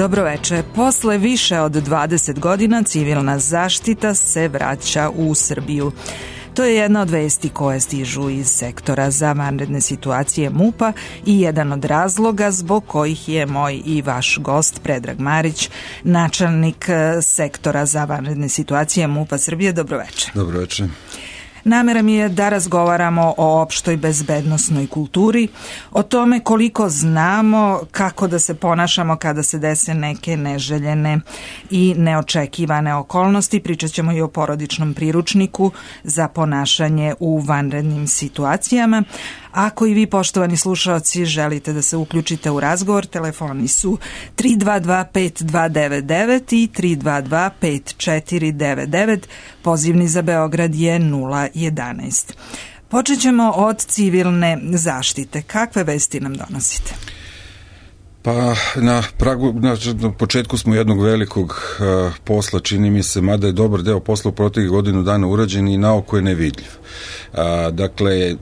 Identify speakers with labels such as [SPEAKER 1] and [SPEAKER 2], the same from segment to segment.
[SPEAKER 1] Dobroveče. Posle više od 20 godina civilna zaštita se vraća u Srbiju. To je jedna od vesti koje stižu iz sektora za vanredne situacije MUP-a i jedan od razloga zbog kojih je moj i vaš gost Predrag Marić, načelnik sektora za vanredne situacije MUP-a Srbije. Dobroveče.
[SPEAKER 2] Dobroveče.
[SPEAKER 1] Namera mi je da razgovaramo o opštoj bezbednosnoj kulturi, o tome koliko znamo kako da se ponašamo kada se dese neke neželjene i neočekivane okolnosti. Pričat ćemo i o porodičnom priručniku za ponašanje u vanrednim situacijama. Ako i vi, poštovani slušaoci, želite da se uključite u razgovor, telefoni su 322-5299 i 322-5499. Pozivni za Beograd je 011. Počet ćemo od civilne zaštite. Kakve vesti nam donosite?
[SPEAKER 2] Pa na početku smo jednog velikog posla, čini mi se, mada je dobar deo posla u proteklih godinu dana urađen i naoko je nevidljiv. Dakle,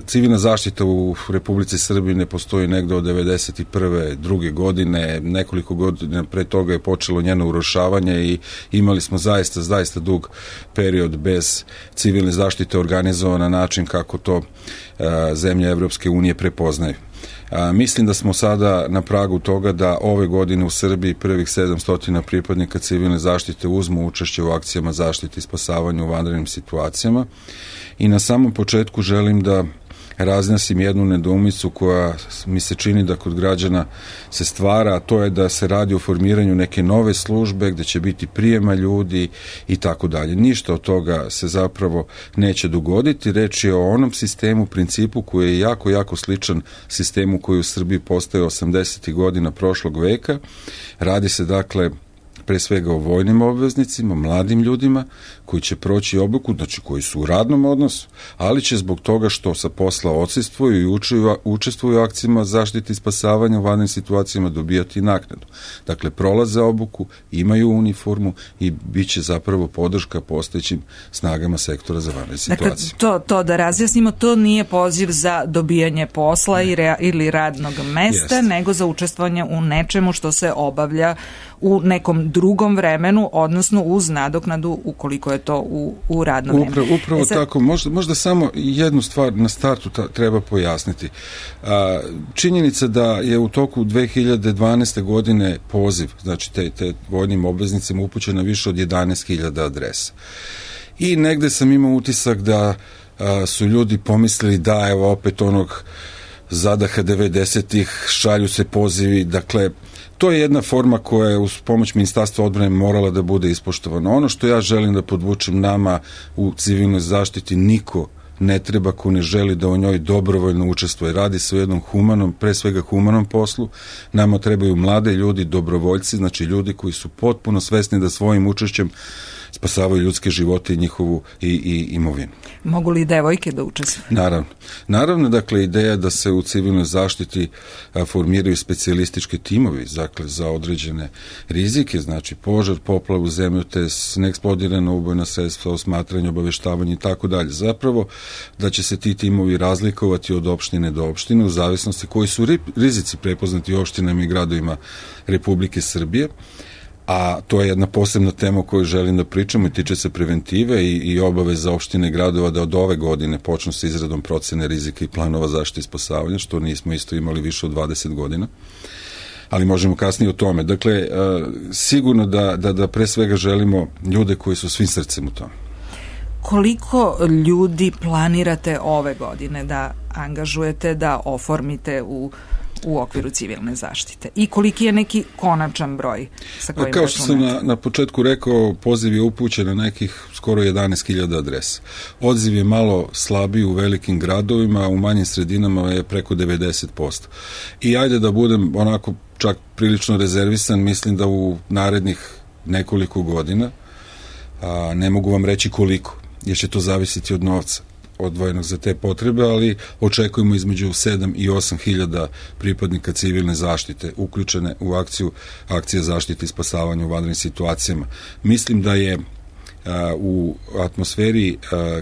[SPEAKER 2] civilna zaštita u Republici Srbiji ne postoji negde od 1991. druge godine, nekoliko godina pre toga je počelo njeno urušavanje i imali smo zaista dug period bez civilne zaštite organizovan na način kako to zemlje Evropske unije prepoznaju. Mislim da smo sada na pragu toga da ove godine u Srbiji prvih 700 pripadnika civilne zaštite uzmu učešće u akcijama zaštite i spasavanja u vanrednim situacijama. I na samom početku želim da razjasim jednu nedoumicu koja mi se čini da kod građana se stvara, a to je da se radi o formiranju neke nove službe gde će biti prijema ljudi i tako dalje. Ništa od toga se zapravo neće dogoditi. Reč je o onom sistemu, principu koji je jako sličan sistemu koji u Srbiji postoje 80. godina prošlog veka. Radi se dakle pre svega o vojnim obveznicima, mladim ljudima koji će proći obuku, znači koji su u radnom odnosu, ali će zbog toga što sa posla odsustvuju i učestvuju u akcijama zaštite i spasavanja u vanrednim situacijama dobijati naknadu. Dakle, prolaze obuku, imaju uniformu i bit će zapravo podrška postojećim snagama sektora za vanredne situacije.
[SPEAKER 1] Dakle, to da razjasnimo, to nije poziv za dobijanje posla ili radnog mesta, nego za učestvovanje u nečemu što se obavlja u nekom drugom vremenu, odnosno uz nadoknadu ukoliko je to u radnom vremenu.
[SPEAKER 2] Upravo tako. Možda samo jednu stvar na startu treba pojasniti. Činjenica da je u toku 2012. godine poziv, znači te vojnim obveznicima upućeno više od 11.000 adresa. I negde sam imao utisak da su ljudi pomislili da evo opet onog zadaha 90-ih, šalju se pozivi, dakle to je jedna forma koja je uz pomoć Ministarstva odbrane morala da bude ispoštovana. Ono što ja želim da podvučem, nama u civilnoj zaštiti niko ne treba ko ne želi da u njoj dobrovoljno učestvuje. Radi se o jednom humanom, pre svega humanom poslu. Nama trebaju mlade ljudi, dobrovoljci, znači ljudi koji su potpuno svesni da svojim učešćem spasavaju ljudske živote i njihovu i imovinu.
[SPEAKER 1] Mogu li devojke da učestvuju?
[SPEAKER 2] Naravno, dakle, ideja da se u civilnoj zaštiti formiraju specijalistički timovi, dakle, za određene rizike, znači požar, poplavu, zemljotres, neeksplodirana ubojna sredstva, osmatranje, obaveštavanje i tako dalje. Zapravo, da će se ti timovi razlikovati od opštine do opštine u zavisnosti koji su rizici prepoznati u opštinama i gradovima Republike Srbije. A to je jedna posebna tema o kojoj želim da pričamo i tiče se preventive i obaveza opštine i gradova da od ove godine počnu sa izradom procene rizika i planova zaštite i spasavanja, što nismo isto imali više od 20 godina. Ali možemo kasnije o tome. Dakle, sigurno da pre svega želimo ljude koji su svim srcem u tome.
[SPEAKER 1] Koliko ljudi planirate ove godine da angažujete, da oformite u okviru civilne zaštite? I koliki je neki konačan broj sa kojim
[SPEAKER 2] računate? Kao što sam na početku rekao, poziv je upućen na nekih skoro 11.000 adresa. Odziv je malo slabiji u velikim gradovima, u manjim sredinama je preko 90%. I ajde da budem onako čak prilično rezervisan, mislim da u narednih nekoliko godina, ne mogu vam reći koliko, jer će to zavisiti od novca odvojenog za te potrebe, ali očekujemo između 7 i 8 hiljada pripadnika civilne zaštite uključene u akcije zaštite i spasavanja u vanrednim situacijama. Mislim da je u atmosferi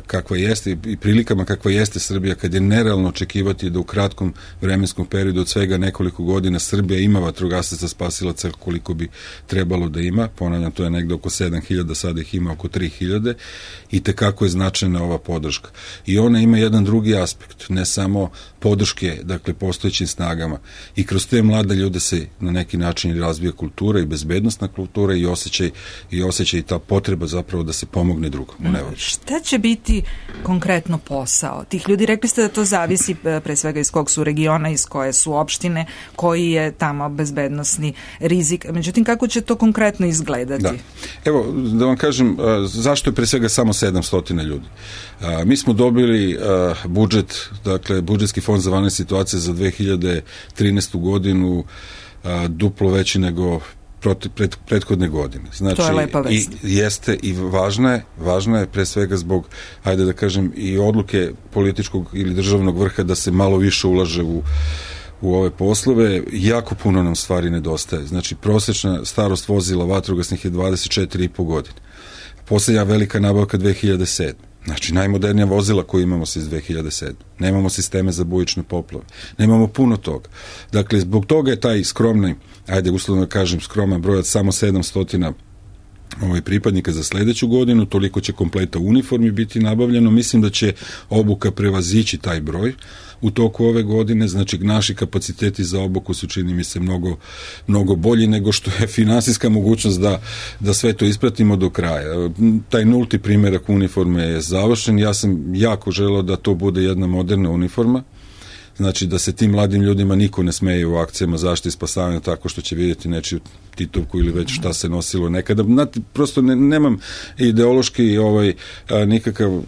[SPEAKER 2] kakva jeste i prilikama kakva jeste Srbija, kad je nerealno očekivati da u kratkom vremenskom periodu od svega nekoliko godina Srbija ima vatrogasaca spasilaca koliko bi trebalo da ima, ponavljam, to je negde oko 7.000, sada ih ima oko 3.000, i tekako je značajna ova podrška. I ona ima jedan drugi aspekt, ne samo podrške, dakle, postojećim snagama, i kroz te mlade ljude se na neki način razvija kultura i bezbednostna kultura i osjećaj ta potreba zapravo da se pomogne drugom.
[SPEAKER 1] Šta će biti konkretno posao tih ljudi? Rekli ste da to zavisi pre svega iz kog su regiona, iz koje su opštine, koji je tamo bezbednosni rizik. Međutim, kako će to konkretno izgledati?
[SPEAKER 2] Da. Evo, da vam kažem, zašto je pre svega samo 700 ljudi? Mi smo dobili budžet, dakle, budžetski fond za vanredne situacije za 2013. godinu duplo veći nego prethodne godine. Znači, to je lepa vest. Jeste i važna je pre svega zbog, ajde da kažem, i odluke političkog ili državnog vrha da se malo više ulaže u ove poslove. Jako puno nam stvari nedostaje. Znači, prosječna starost vozila vatrogasnih je 24,5 godine. Posljednja velika nabavka 2007. Znači, najmodernija vozila koju imamo se iz 2007. Nemamo sisteme za bujične poplave. Nemamo puno toga. Dakle, zbog toga je taj skromni, ajde uslovno kažem, skroman broj od samo 700 pripadnika za sledeću godinu, toliko će kompleta uniformi biti nabavljeno. Mislim da će obuka prevazići taj broj u toku ove godine. Znači, naši kapaciteti za obuku su, čini mi se, mnogo bolji nego što je finansijska mogućnost da sve to ispratimo do kraja. Taj nulti primjerak uniforme je završen. Ja sam jako želeo da to bude jedna moderna uniforma. Znači, da se tim mladim ljudima niko ne smeje u akcijama zaštite i spasavanja tako što će vidjeti nečiju titovku ili već šta se nosilo nekada. Znate, prosto nemam ideološki nikakav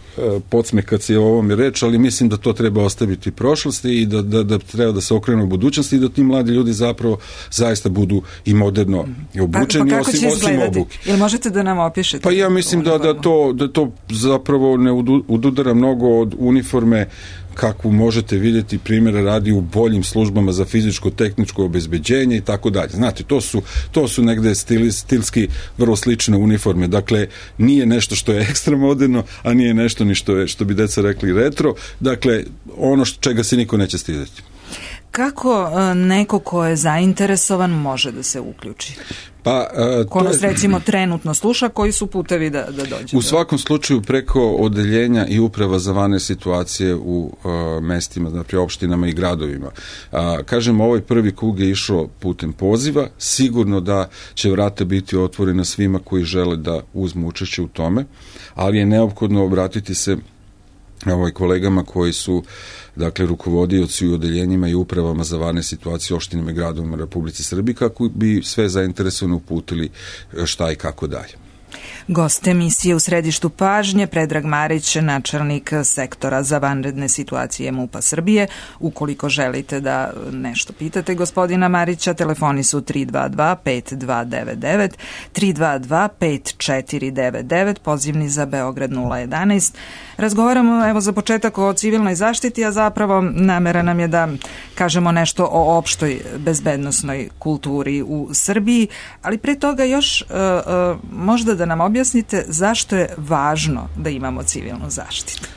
[SPEAKER 2] podsmeh kad se o ovome reč, ali mislim da to treba ostaviti prošlosti i da treba da se okrenu u budućnosti i da ti mladi ljudi zapravo zaista budu i moderno obučeni,
[SPEAKER 1] pa kako će
[SPEAKER 2] osim obuke.
[SPEAKER 1] Ili možete da nam opišete?
[SPEAKER 2] Pa ja mislim da to zapravo ne ududara mnogo od uniforme kakvu možete vidjeti, primjera radi u boljim službama za fizičko-tehničko obezbeđenje i tako dalje. Znate, to su negde stilski vrlo slične uniforme. Dakle, nije nešto što je ekstra moderno, a nije nešto ni što bi deca rekli retro. Dakle, ono čega se niko neće stideti.
[SPEAKER 1] Kako neko ko je zainteresovan može da se uključi? Ko nas recimo trenutno sluša, koji su putevi da dođe?
[SPEAKER 2] U svakom slučaju preko odeljenja i uprava za vanredne situacije u mestima, znači opštinama i gradovima. Kažem, ovaj prvi krug je išao putem poziva, sigurno da će vrata biti otvorena svima koji žele da uzmu učešće u tome, ali je neophodno obratiti se kolegama koji su, dakle, rukovodioci u odeljenjima i upravama za vanredne situacije opštinama i gradovima Republici Srbiji, kako bi sve zainteresovano uputili šta i kako dalje.
[SPEAKER 1] Gost emisije u središtu pažnje, Predrag Marić, načelnik sektora za vanredne situacije MUP-a Srbije. Ukoliko želite da nešto pitate gospodina Marića, telefoni su 322-5299, 322-5499, pozivni za Beograd 011. Razgovaramo, evo, za početak o civilnoj zaštiti, a zapravo namera nam je da kažemo nešto o opštoj bezbednosnoj kulturi u Srbiji, ali pre toga još možda da nam objasnite zašto je važno da imamo civilnu zaštitu.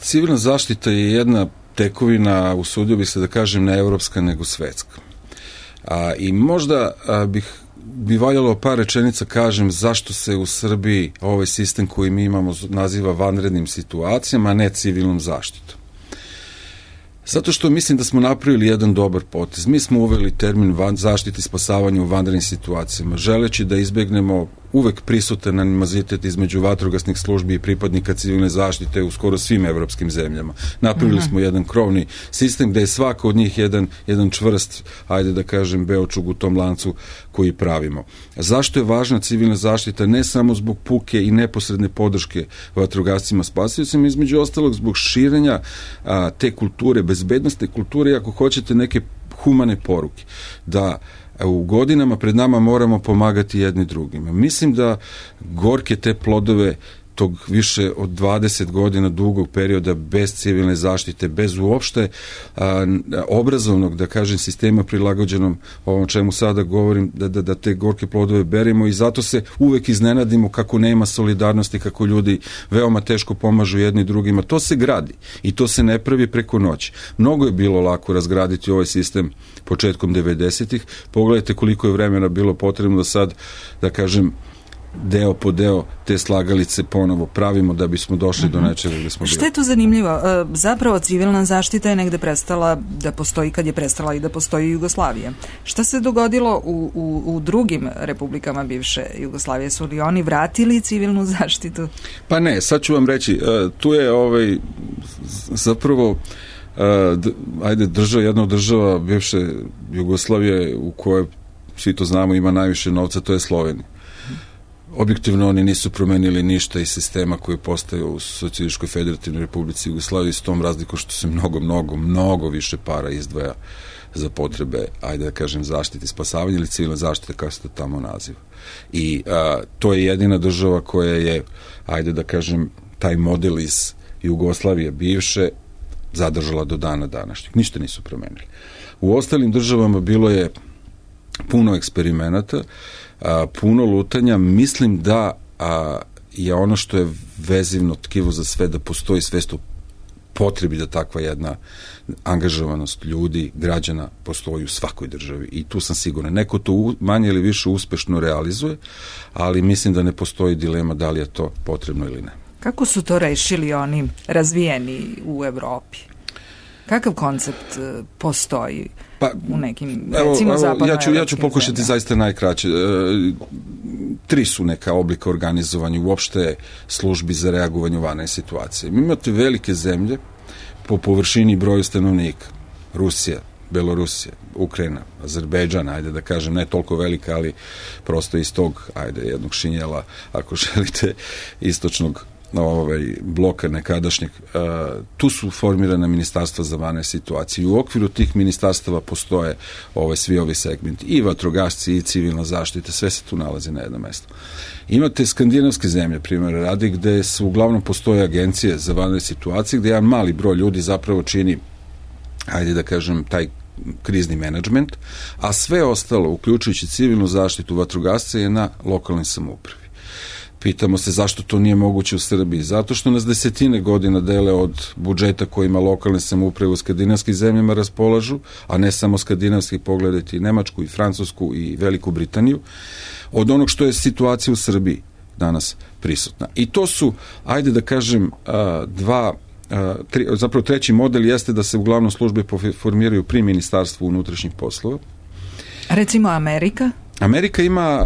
[SPEAKER 2] Civilna zaštita je jedna tekovina, usudio bih se da kažem, ne evropska nego svetska. I možda bi valjalo par rečenica kažem zašto se u Srbiji ovaj sistem koji mi imamo naziva vanrednim situacijama, a ne civilnom zaštitom. Zato što mislim da smo napravili jedan dobar potez. Mi smo uveli termin zaštite i spasavanja u vanrednim situacijama, želeći da izbegnemo uvek prisutan animozitet između vatrogasnih službi i pripadnika civilne zaštite u skoro svim evropskim zemljama. Napravili smo jedan krovni sistem gde je svako od njih jedan čvrst, ajde da kažem, beočug u tom lancu koji pravimo. Zašto je važna civilna zaštita? Ne samo zbog puke i neposredne podrške vatrogascima spasiocima, između ostalog zbog širenja te kulture, bezbednostne kulture i ako hoćete neke humane poruke. Da u godinama pred nama moramo pomagati jedni drugima. Mislim da gorke te plodove tog više od 20 godina dugog perioda bez civilne zaštite, bez uopšte obrazovnog, da kažem, sistema prilagođenom ovom čemu sada govorim, da te gorke plodove beremo, i zato se uvek iznenadimo kako nema solidarnosti, kako ljudi veoma teško pomažu jedni drugima. To se gradi i to se ne pravi preko noći. Mnogo je bilo lako razgraditi ovaj sistem početkom 90-ih. Pogledajte koliko je vremena bilo potrebno da sad, da kažem, deo po deo te slagalice ponovo pravimo da bismo došli do nečega gde smo bili.
[SPEAKER 1] Što je tu zanimljivo? Zapravo civilna zaštita je negde prestala da postoji kad je prestala i da postoji Jugoslavija. Šta se dogodilo u drugim republikama bivše Jugoslavije? Su li oni vratili civilnu zaštitu?
[SPEAKER 2] Pa ne, sad ću vam reći, tu je zapravo jedna od država bivše Jugoslavije u kojoj, svi to znamo, ima najviše novca, to je Slovenija. Objektivno oni nisu promenili ništa iz sistema koji postoje u Socijalističkoj federativnoj republici Jugoslaviji, s tom razlikom što se mnogo više para izdvaja za potrebe, ajde da kažem, zaštite i spasavanja ili civilne zaštite, kako se to tamo naziva. I to je jedina država koja je, ajde da kažem, taj model iz Jugoslavije bivše zadržala do dana današnjeg. Ništa nisu promenili. U ostalim državama bilo je puno eksperimenata, puno lutanja. Mislim da je ono što je vezivno tkivo za sve, da postoji svest o potrebi da takva jedna angažovanost ljudi, građana postoji u svakoj državi, i tu sam siguran. Neko to manje ili više uspešno realizuje, ali mislim da ne postoji dilema da li je to potrebno ili ne.
[SPEAKER 1] Kako su to rešili oni razvijeni u Evropi? Kakav koncept postoji u nekim, recimo, zapadnoevropskim
[SPEAKER 2] ja ću pokušati zaista najkraće. 3 su neka oblika organizovanja uopšte službi za reagovanje u vanredne situacije. Mi imate velike zemlje po površini i broju stanovnika. Rusija, Belorusija, Ukrajina, Azerbejdžan, ajde da kažem, ne toliko velika, ali prosto iz tog, jednog šinjela, ako želite, istočnog bloka nekadašnjeg. Tu su formirana ministarstva za vanredne situacije. U okviru tih ministarstava postoje svi ovi segmenti. I vatrogasci, i civilna zaštita, sve se tu nalazi na jednom mestu. Imate skandinavske zemlje, primjer radi, gde su uglavnom postoje agencije za vanredne situacije, gde jedan mali broj ljudi zapravo čini, ajde da kažem, taj krizni menadžment, a sve ostalo, uključujući civilnu zaštitu, vatrogasce, je na lokalnoj samoupravi. Pitamo se zašto to nije moguće u Srbiji. Zato što nas desetine godina dele od budžeta kojima lokalne samouprave u skandinavskim zemljama raspolažu, a ne samo skandinavski, pogledajte i Nemačku, i Francusku, i Veliku Britaniju, od onog što je situacija u Srbiji danas prisutna. I to su, ajde da kažem, zapravo treći model jeste da se uglavnom službe formiraju pri Ministarstvu unutrašnjih poslova.
[SPEAKER 1] Recimo Amerika?
[SPEAKER 2] Amerika ima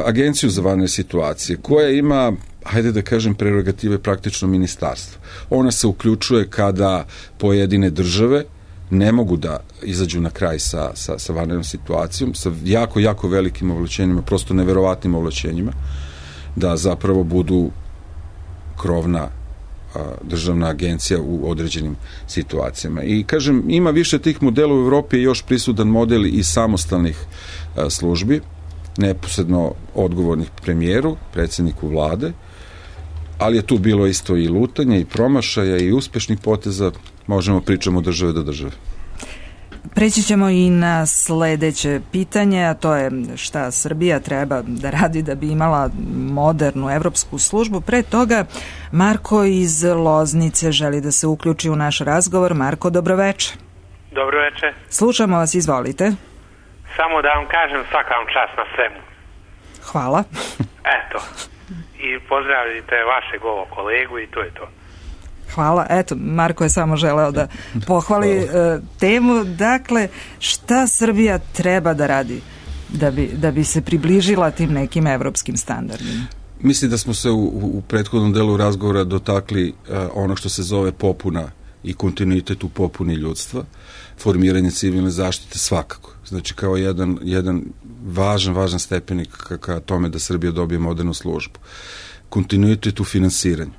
[SPEAKER 2] agenciju za vanredne situacije koja ima, hajde da kažem, prerogative praktično ministarstva. Ona se uključuje kada pojedine države ne mogu da izađu na kraj sa vanrednom situacijom, sa jako velikim ovlašćenjima, prosto neverovatnim ovlašćenjima, da zapravo budu krovna državna agencija u određenim situacijama. I kažem, ima više tih modela u Evropi, je još prisutan model i samostalnih službi, neposredno odgovornih premijeru, predsjedniku vlade, ali je tu bilo isto i lutanja, i promašaja, i uspešnih poteza, možemo pričamo od države do države.
[SPEAKER 1] Preći ćemo i na sledeće pitanje, a to je šta Srbija treba da radi da bi imala modernu evropsku službu. Pre toga, Marko iz Loznice želi da se uključi u naš razgovor. Marko, dobroveče.
[SPEAKER 3] Dobroveče.
[SPEAKER 1] Slušamo vas, izvolite.
[SPEAKER 3] Samo da vam kažem, svaka vam čast na svemu.
[SPEAKER 1] Hvala.
[SPEAKER 3] Eto, i pozdravite vašeg ovog kolegu i to je to.
[SPEAKER 1] Hvala. Eto, Marko je samo želeo da pohvali temu. Dakle, šta Srbija treba da radi da bi se približila tim nekim evropskim standardima?
[SPEAKER 2] Mislim da smo se u prethodnom delu razgovora dotakli ono što se zove popuna i kontinuitet u popuni ljudstva, formiranje civilne zaštite svakako. Znači, kao jedan važan stepenik ka tome da Srbija dobije modernu službu. Kontinuitet u finansiranju.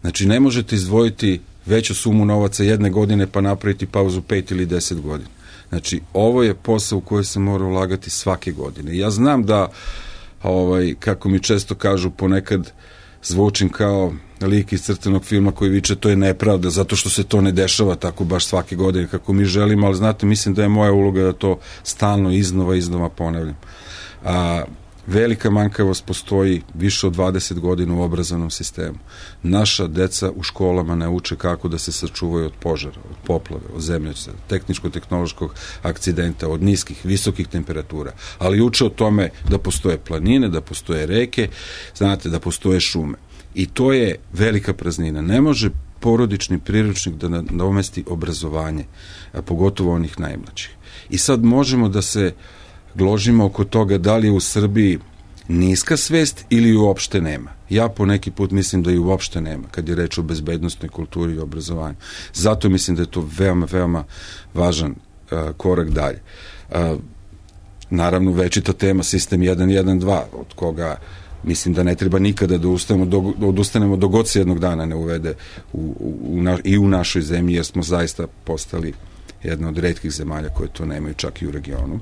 [SPEAKER 2] Znači, ne možete izdvojiti veću sumu novaca jedne godine pa napraviti pauzu 5 ili 10 godina. Znači, ovo je posao u koji se mora ulagati svake godine. Ja znam da, kako mi često kažu, ponekad zvučim kao lik iz crtanog filma koji viče to je nepravda, zato što se to ne dešava tako baš svake godine kako mi želimo, ali znate, mislim da je moja uloga da to stalno iznova ponavljam. Velika manjkavost postoji više od 20 godina u obrazovnom sistemu. Naša deca u školama ne uče kako da se sačuvaju od požara, od poplave, od zemljotresa, tehničko-tehnološkog akcidenta, od niskih, visokih temperatura, ali uče o tome da postoje planine, da postoje reke, znate, da postoje šume. I to je velika praznina. Ne može porodični priručnik da nadomesti obrazovanje, a pogotovo onih najmlađih. I sad možemo da se gložimo oko toga da li je u Srbiji niska svest ili uopšte nema. Ja po neki put mislim da i uopšte nema kad je reč o bezbednostnoj kulturi i obrazovanju. Zato mislim da je to veoma važan korak dalje. Naravno, večita tema sistem 1.1.2, od koga mislim da ne treba nikada da odustanemo dok god se jednog dana ne uvede i u našoj zemlji, jer smo zaista postali jedna od retkih zemalja koje to nemaju čak i u regionu.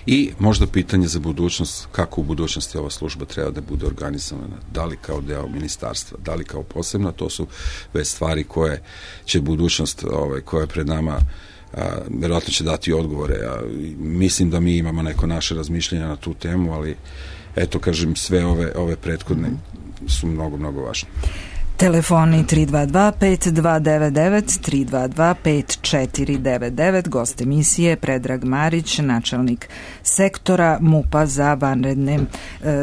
[SPEAKER 2] I možda pitanje za budućnost, kako u budućnosti ova služba treba da bude organizovana, da li kao deo ministarstva, da li kao posebna, to su već stvari koje će budućnost koja je pred nama verovatno će dati odgovore. Mislim da mi imamo neko naše razmišljenja na tu temu, ali eto, kažem, sve ove prethodne su mnogo važne.
[SPEAKER 1] Telefoni 322-5299, 322-5499, gost emisije Predrag Marić, načelnik sektora MUP-a za vanredne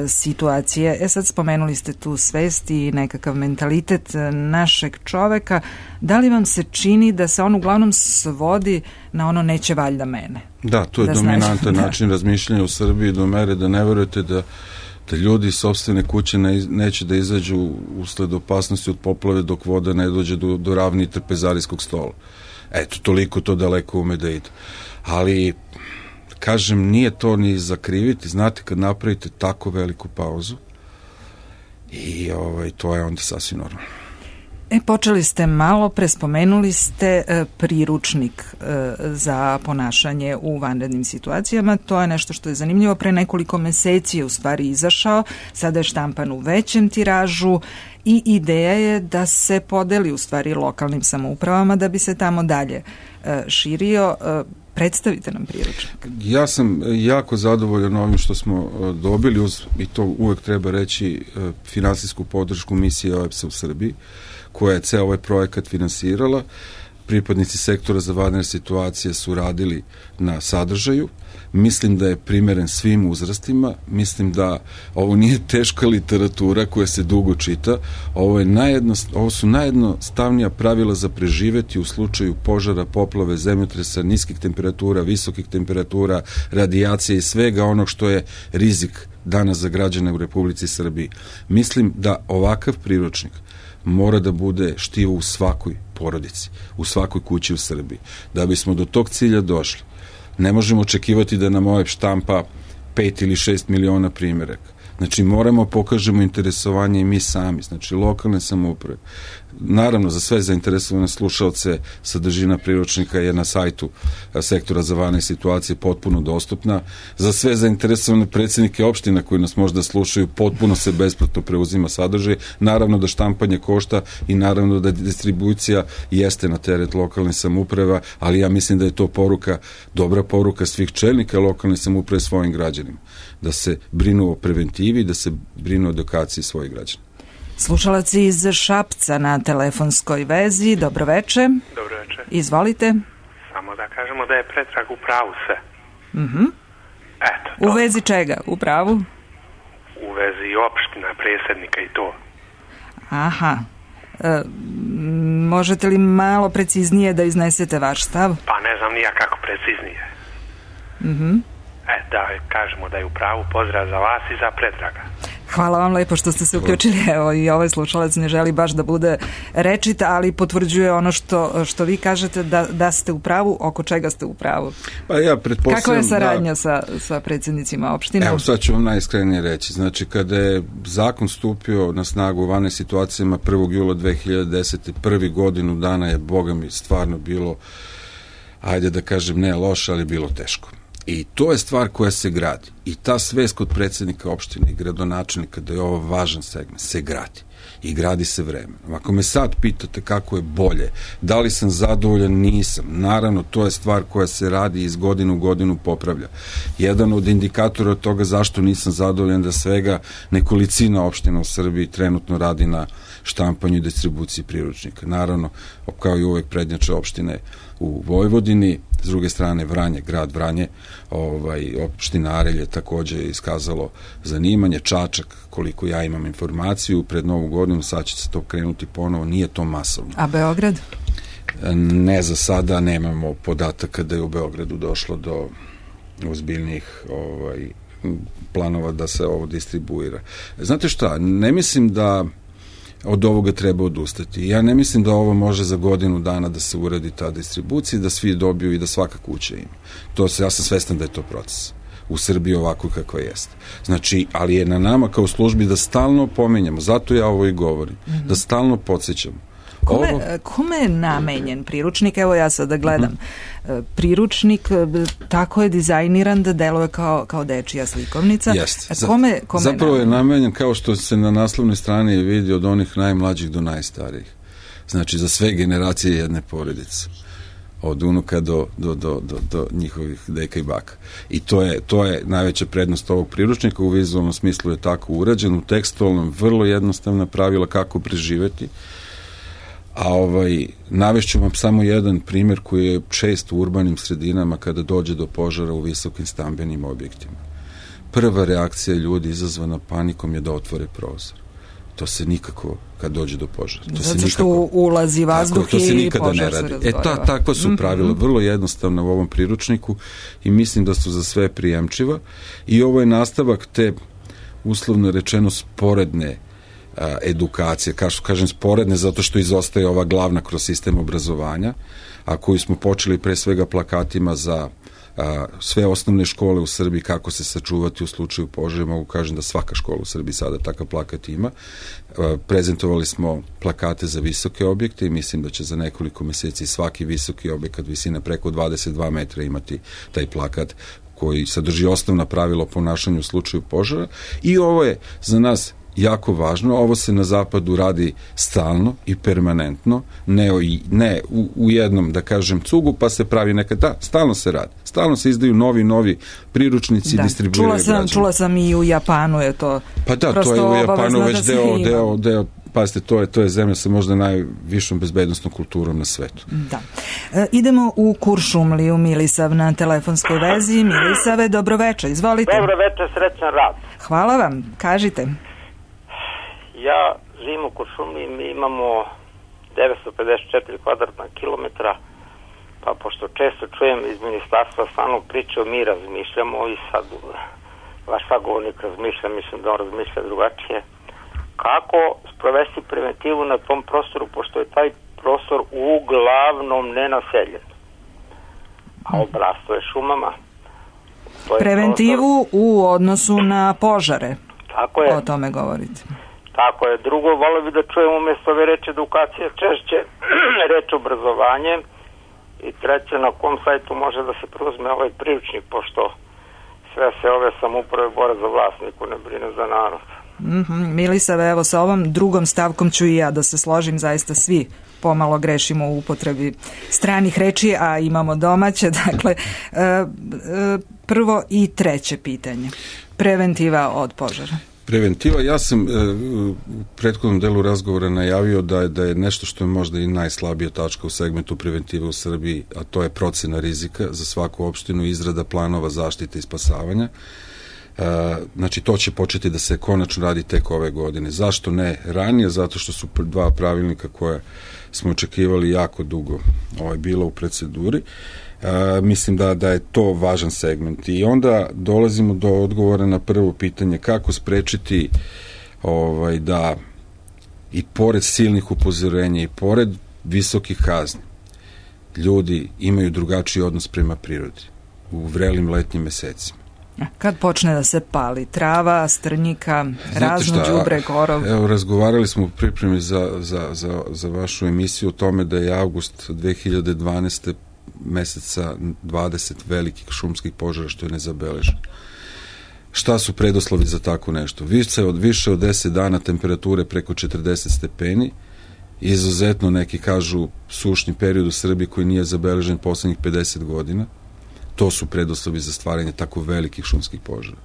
[SPEAKER 1] situacije. Sad spomenuli ste tu svest i nekakav mentalitet našeg čoveka. Da li vam se čini da se on uglavnom svodi na ono neće valjda mene?
[SPEAKER 2] Da, to je dominantan način razmišljanja u Srbiji do mere da ne verujete da ljudi iz sopstvene kuće neće da izađu usled opasnosti od poplave dok voda ne dođe do ravni trpezarijskog stola. Eto, toliko to daleko ume da ide. Ali, kažem, nije to ni zakriviti. Znate, kad napravite tako veliku pauzu i to je onda sasvim normalno.
[SPEAKER 1] Počeli ste malo, prespomenuli ste priručnik za ponašanje u vanrednim situacijama. To je nešto što je zanimljivo. Pre nekoliko meseci je u stvari izašao, sada je štampan u većem tiražu i ideja je da se podeli u stvari lokalnim samoupravama da bi se tamo dalje širio. Predstavite nam priručnik.
[SPEAKER 2] Ja sam jako zadovoljan ovim što smo dobili, i to uvek treba reći, finansijsku podršku misije OEBS-a u Srbiji, koja je ceo ovaj projekat finansirala. Pripadnici sektora za vanredne situacije su radili na sadržaju. Mislim da je primeren svim uzrastima. Mislim da ovo nije teška literatura koja se dugo čita. Ovo su najjednostavnija pravila za preživeti u slučaju požara, poplave, zemljotresa, niskih temperatura, visokih temperatura, radijacije i svega onog što je rizik danas za građane u Republici Srbiji. Mislim da ovakav priručnik mora da bude štivo u svakoj porodici, u svakoj kući u Srbiji. Da bismo do tog cilja došli, ne možemo očekivati da nam OEBS štampa 5 ili 6 miliona primjeraka. Znači, moramo pokažemo interesovanje i mi sami, znači lokalne samouprave. Naravno, za sve zainteresovane slušalce sadržina priručnika je na sajtu sektora za vanredne situacije potpuno dostupna. Za sve zainteresovane predsjednike opština koji nas možda slušaju, potpuno se besplatno preuzima sadržaj. Naravno da štampanje košta i naravno da distribucija jeste na teret lokalne samouprave, ali ja mislim da je to dobra poruka svih čelnika lokalne samouprave svojim građanima. Da se brinu o preventivi, da se brinu o edukaciji svojih građana.
[SPEAKER 1] Slušalac iz Šapca na telefonskoj vezi. Dobroveče.
[SPEAKER 3] Dobroveče.
[SPEAKER 1] Izvolite.
[SPEAKER 3] Samo da kažemo da je Predrag u pravu sve. Eto.
[SPEAKER 1] U vezi čega? U pravu?
[SPEAKER 3] U vezi opština, predsjednika i to.
[SPEAKER 1] Aha. Možete li malo preciznije da iznesete vaš stav?
[SPEAKER 3] Pa ne znam nija kako preciznije. Da kažemo da je u pravu. Pozdrav za vas i za Predraga.
[SPEAKER 1] Hvala vam lepo što ste se uključili. Evo, i ovaj slušalac ne želi baš da bude rečit, ali potvrđuje ono što vi kažete da ste u pravu. Oko čega ste u pravu?
[SPEAKER 2] Pa ja pretpostavljam.
[SPEAKER 1] Kakva je saradnja sa predsjednicima opština?
[SPEAKER 2] Evo, sad ću vam najiskrenije reći. Znači, kada je zakon stupio na snagu u vanrednim situacijama 1. jula 2010. prvi godinu dana je, boga mi, stvarno bilo, ajde da kažem, ne loše, ali bilo teško. I to je stvar koja se gradi. I ta svest kod predsjednika opštine i gradonačelnika da je ovo važan segment, se gradi. I gradi se vremenom. Ako me sad pitate kako je bolje, da li sam zadovoljan, nisam. Naravno, to je stvar koja se radi i iz godine u godinu popravlja. Jedan od indikatora toga zašto nisam zadovoljan da svega nekolicina opština u Srbiji trenutno radi na štampanju i distribuciji priručnika. Naravno, kao i uvek prednjače opštine u Vojvodini, s druge strane Vranje, grad Vranje, opština Arelj je takođe iskazalo zanimanje, Čačak, koliko ja imam informaciju, pred Novu godinu, sad će se to krenuti ponovo, nije to masovno.
[SPEAKER 1] A Beograd?
[SPEAKER 2] Ne, za sada nemamo podataka da je u Beogradu došlo do ozbiljnih planova da se ovo distribuira. Znate šta, ne mislim da od ovoga treba odustati. Ja ne mislim da ovo može za godinu dana da se uradi ta distribucija, da svi dobiju i da svaka kuća ima. Ja sam svestan da je to proces u Srbiji ovako kakva jeste. Znači, ali je na nama kao službi da stalno pominjamo, zato ja ovo i govorim, da stalno podsjećamo.
[SPEAKER 1] Kome je namenjen priručnik? Evo ja sada gledam. Priručnik tako je dizajniran da deluje kao dečija slikovnica.
[SPEAKER 2] Jeste. Zapravo je namenjen, kao što se na naslovnoj strani vidi, od onih najmlađih do najstarijih. Znači, za sve generacije jedne porodice. Od unuka do njihovih deka i baka. I to je najveća prednost ovog priručnika. U vizualnom smislu je tako urađen, u tekstualnom vrlo jednostavna pravila kako preživeti. A navešću vam samo jedan primjer koji je čest u urbanim sredinama kada dođe do požara u visokim stambenim objektima. Prva reakcija ljudi izazvana panikom je da otvore prozor. To se nikako, kad dođe do požara.
[SPEAKER 1] Zato što ulazi vazduh i požar se razgoreva.
[SPEAKER 2] Takva su pravila, vrlo jednostavna u ovom priručniku i mislim da su za sve prijemčiva. I ovo je nastavak te, uslovno rečeno, sporedne edukacije, kažem sporedne zato što izostaje ova glavna kroz sistem obrazovanja, a koju smo počeli pre svega plakatima za sve osnovne škole u Srbiji kako se sačuvati u slučaju požara. Mogu kažem da svaka škola u Srbiji sada takav plakat ima. Prezentovali smo plakate za visoke objekte i mislim da će za nekoliko meseci svaki visoki objekat visine preko 22 metra imati taj plakat koji sadrži osnovna pravila o ponašanju u slučaju požara. I ovo je za nas jako važno, ovo se na zapadu radi stalno i permanentno, ne u jednom, da kažem, cugu, pa se pravi nekad, stalno se radi. Stalno se izdaju novi priručnici, distribuiraju građani.
[SPEAKER 1] Čula sam i u Japanu je to.
[SPEAKER 2] Pa da, to je u Japanu već deo, pazite, to je zemlja sa možda najvišom bezbednostnom kulturom na svetu.
[SPEAKER 1] Da. Idemo u Kuršumliju, Milisav na telefonskoj vezi. Milisave, dobroveče, izvolite.
[SPEAKER 4] Dobroveče, srećan rad.
[SPEAKER 1] Hvala vam, kažite.
[SPEAKER 4] Ja živim u Kuršumliji, mi imamo 954 kvadratna kilometra, pa pošto često čujem iz ministarstva stalno priču, mi razmišljamo i sad vaš sagovornik razmišlja, mislim da on razmišlja drugačije. Kako sprovesti preventivu na tom prostoru, pošto je taj prostor uglavnom nenaseljen, a obrasto je šumama.
[SPEAKER 1] Preventivu u odnosu na požare.
[SPEAKER 4] Tako je.
[SPEAKER 1] O tome govorite.
[SPEAKER 4] Tako je. Drugo, volio bi da čujem umjesto ove reči edukacije češće reč obrazovanje i treće, na kom sajtu može da se preuzme ovaj priručnik, pošto sve se ove samouprave bore za vlast, niko ne brine za narod.
[SPEAKER 1] Milisave, evo sa ovom drugom stavkom ću i ja da se složim, zaista svi pomalo grešimo u upotrebi stranih reči, a imamo domaće. Dakle, prvo i treće pitanje. Preventiva od požara.
[SPEAKER 2] Preventiva, ja sam u prethodnom delu razgovora najavio da je nešto što je možda i najslabija tačka u segmentu preventive u Srbiji, a to je procena rizika za svaku opštinu, izrada planova zaštite i spasavanja. Znači, to će početi da se konačno radi tek ove godine. Zašto ne ranije? Zato što su dva pravilnika koje smo očekivali jako dugo bilo u proceduri. Mislim da je to važan segment. I onda dolazimo do odgovora na prvo pitanje, kako sprečiti da i pored silnih upozorenja i pored visokih kazni ljudi imaju drugačiji odnos prema prirodi u vrelim letnjim mesecima.
[SPEAKER 1] Kad počne da se pali trava, strnjika, razno đubre, korov?
[SPEAKER 2] Evo, razgovarali smo u pripremi za vašu emisiju o tome da je avgust 2012. meseca 20 velikih šumskih požara što je nezabeleženo. Šta su predoslovi za tako nešto? Više od 10 dana temperature preko 40 stepeni, izuzetno neki kažu sušni period u Srbiji koji nije zabeležen poslednjih 50 godina. To su predoslovi za stvaranje tako velikih šumskih požara.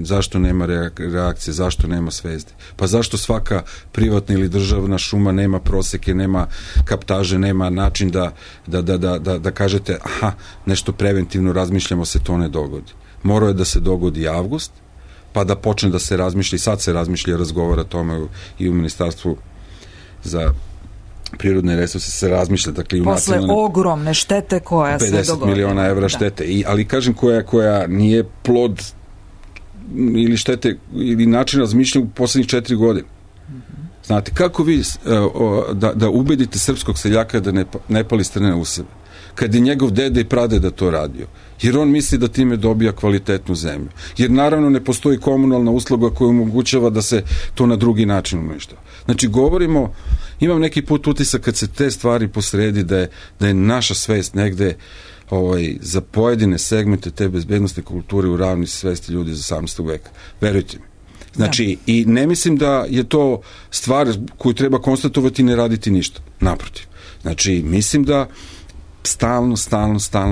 [SPEAKER 2] Zašto nema reakcije, zašto nema svesti? Pa zašto svaka privatna ili državna šuma nema proseke, nema kaptaže, nema način da kažete aha, nešto preventivno razmišljamo, se to ne dogodi. Morao je da se dogodi avgust, pa da počne da se razmišlja, i sad se razmišlja i razgovara o tome i u Ministarstvu za prirodne resurse se razmišlja, dakle,
[SPEAKER 1] posle ogromne štete koja se dogodila. 50 miliona evra štete, ali kažem koja nije plod ili štete ili način razmišljanja u poslednjih 4 godine. Znate, kako vi da ubedite srpskog seljaka da ne pali strne u sebe, kad je njegov dede i pradeda to radio, jer on misli da time dobija kvalitetnu zemlju, jer naravno ne postoji komunalna usluga koja omogućava da se to na drugi način uništava. Znači, imam neki put utisak kad se te stvari posredi da je naša svest negde za pojedine segmente te bezbednostne kulture u ravni svesti ljudi iz 18. veka. Verujte mi. Znači, i ne mislim da je to stvar koju treba konstatovati i ne raditi ništa. Naprotiv. Znači, mislim da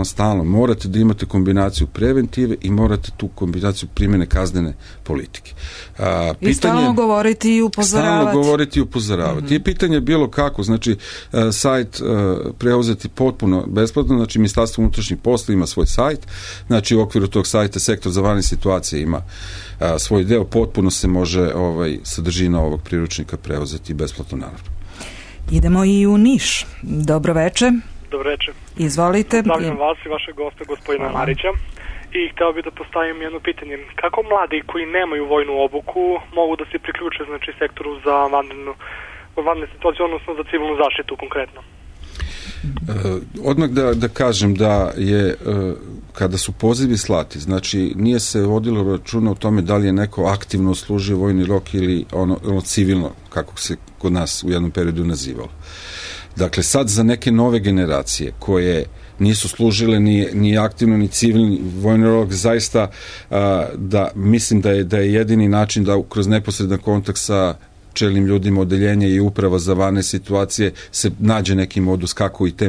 [SPEAKER 1] stalno morate da imate kombinaciju preventive i morate tu kombinaciju primjene kaznene politike. I stalno govoriti i upozoravati. I pitanje je bilo kako, znači sajt preuzeti potpuno besplatno, znači Ministarstvo unutrašnjih poslova ima svoj sajt, znači u okviru tog sajta Sektor za vanredne situacije ima svoj deo, potpuno se može sadržina ovog priručnika preuzeti besplatno, naravno. Idemo i u Niš. Dobro večer.
[SPEAKER 5] Dobro večer.
[SPEAKER 1] Izvolite.
[SPEAKER 5] Pozdravljam vas i vašeg gosta, gospodina Marića. I hteo bih da postavim jedno pitanje. Kako mladi koji nemaju vojnu obuku mogu da se priključe, znači, sektoru za vanredne situacije, odnosno za civilnu zaštitu konkretno?
[SPEAKER 2] Odmah da kažem da je, kada su pozivi slati, znači nije se vodilo računa o tome da li je neko aktivno služio vojni rok ili ono civilno, kako se kod nas u jednom periodu nazivalo. Dakle, sad za neke nove generacije koje nisu služile ni aktivno ni civilni vojni rok, zaista da mislim da je jedini način da kroz neposredan kontakt sa čelnim ljudima odeljenja i uprava za vanredne situacije se nađe neki modus kako i te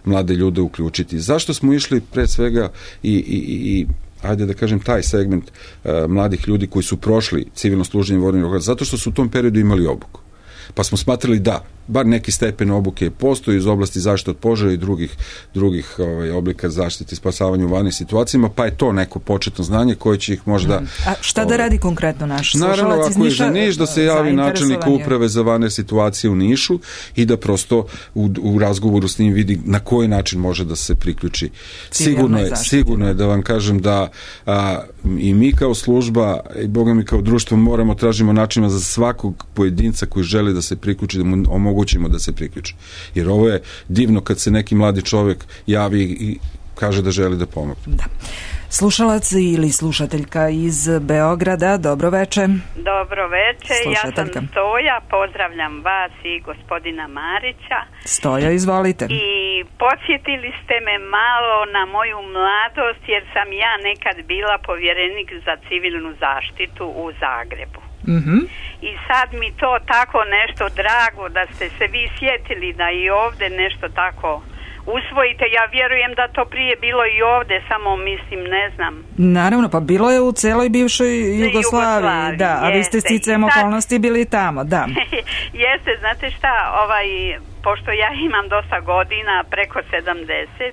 [SPEAKER 2] mlade ljude uključiti. Zašto smo išli pre svega i ajde da kažem taj segment mladih ljudi koji su prošli civilno služenje vojnog roka? Zato što su u tom periodu imali obuku. Pa smo smatrali da bar neki stepen obuke postoji iz oblasti zaštite od požara i drugih oblika zaštite i spasavanja u vanrednim situacijama, pa je to neko početno znanje koje će ih možda...
[SPEAKER 1] A šta da radi konkretno naš slušalac iz Niša?
[SPEAKER 2] Naravno, ako je za Niš, da se javi načelnik uprave za vanredne situacije u Nišu i da prosto u razgovoru s njim vidi na koji način može da se priključi. Sigurno je da vam kažem da i mi kao služba i Boga mi kao društvo moramo tražimo načina za svakog pojedinca koji želi da se priključi, da mu omogućimo da se priključi. Jer ovo je divno kad se neki mladi čovjek javi i kaže da želi da pomogne.
[SPEAKER 1] Da. Slušalac ili slušateljka iz Beograda, dobro veče.
[SPEAKER 6] Dobro veče, ja sam Stoja, pozdravljam vas i gospodina Marića.
[SPEAKER 1] Stoja, izvolite.
[SPEAKER 6] I podsjetili ste me malo na moju mladost, jer sam ja nekad bila povjerenik za civilnu zaštitu u Zagrebu. I sad mi to tako nešto drago da ste se vi sjetili da i ovdje nešto tako usvojite. Ja vjerujem da to prije bilo i ovdje, samo mislim, ne znam.
[SPEAKER 1] Naravno, pa bilo je u celoj bivšoj Jugoslaviji, da, a vi ste sticajem okolnosti bili tamo, da.
[SPEAKER 6] Jeste, znate šta, pošto ja imam dosta godina, preko 70,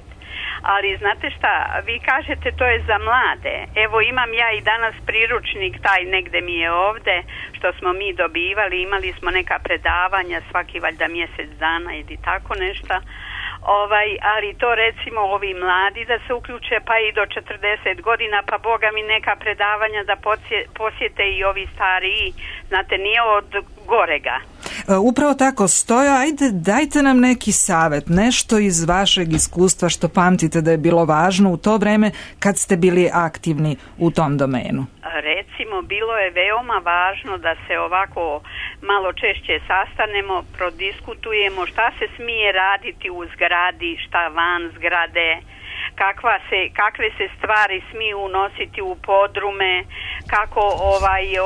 [SPEAKER 6] ali znate šta, vi kažete to je za mlade. Evo imam ja i danas priručnik, taj negde mi je ovde, što smo mi dobivali, imali smo neka predavanja svaki valjda mjesec dana ili tako nešto. Ali to recimo ovi mladi da se uključe pa i do 40 godina, pa Boga mi neka predavanja da posjete i ovi stariji, znate, nije od gorega.
[SPEAKER 1] Upravo tako, Stojo, ajde dajte nam neki savjet, nešto iz vašeg iskustva što pamtite da je bilo važno u to vreme kad ste bili aktivni u tom domenu.
[SPEAKER 6] Recimo, bilo je veoma važno da se ovako malo češće sastanemo, prodiskutujemo šta se smije raditi u zgradi, šta van zgrade, kakve se stvari smiju unositi u podrume, kako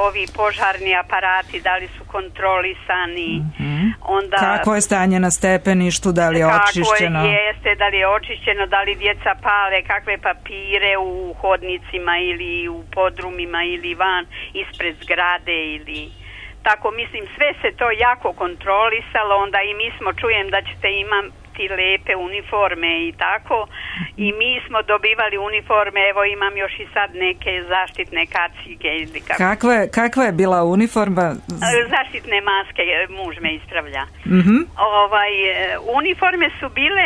[SPEAKER 6] ovi požarni aparati, da li su kontrolisani, onda
[SPEAKER 1] kako je stanje na stepeništu, da li je očišćeno,
[SPEAKER 6] da li je očišćeno, da li djeca pale kakve papire u hodnicima ili u podrumima ili van ispred zgrade ili tako, mislim sve se to jako kontrolisalo, onda i mi smo, čujem da ćete imati lepe uniforme i tako, i mi smo dobivali uniforme, evo imam još i sad neke zaštitne kacige ili kako.
[SPEAKER 1] Kakva je bila uniforma?
[SPEAKER 6] Zaštitne maske, muž me ispravlja. Uniforme su bile,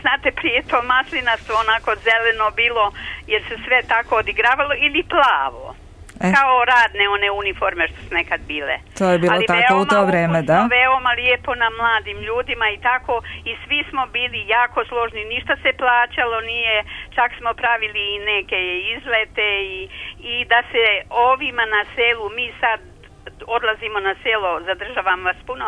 [SPEAKER 6] znate, prije to maslinasto, onako zeleno bilo, jer se sve tako odigravalo, ili plavo. Kao radne one uniforme što su nekad bile.
[SPEAKER 1] To je bilo tako u to vreme, da?
[SPEAKER 6] Veoma lijepo na mladim ljudima i tako, i svi smo bili jako složni, ništa se plaćalo nije, čak smo pravili i neke izlete i da se ovima na selu, mi sad odlazimo na selo, zadržavam vas puno,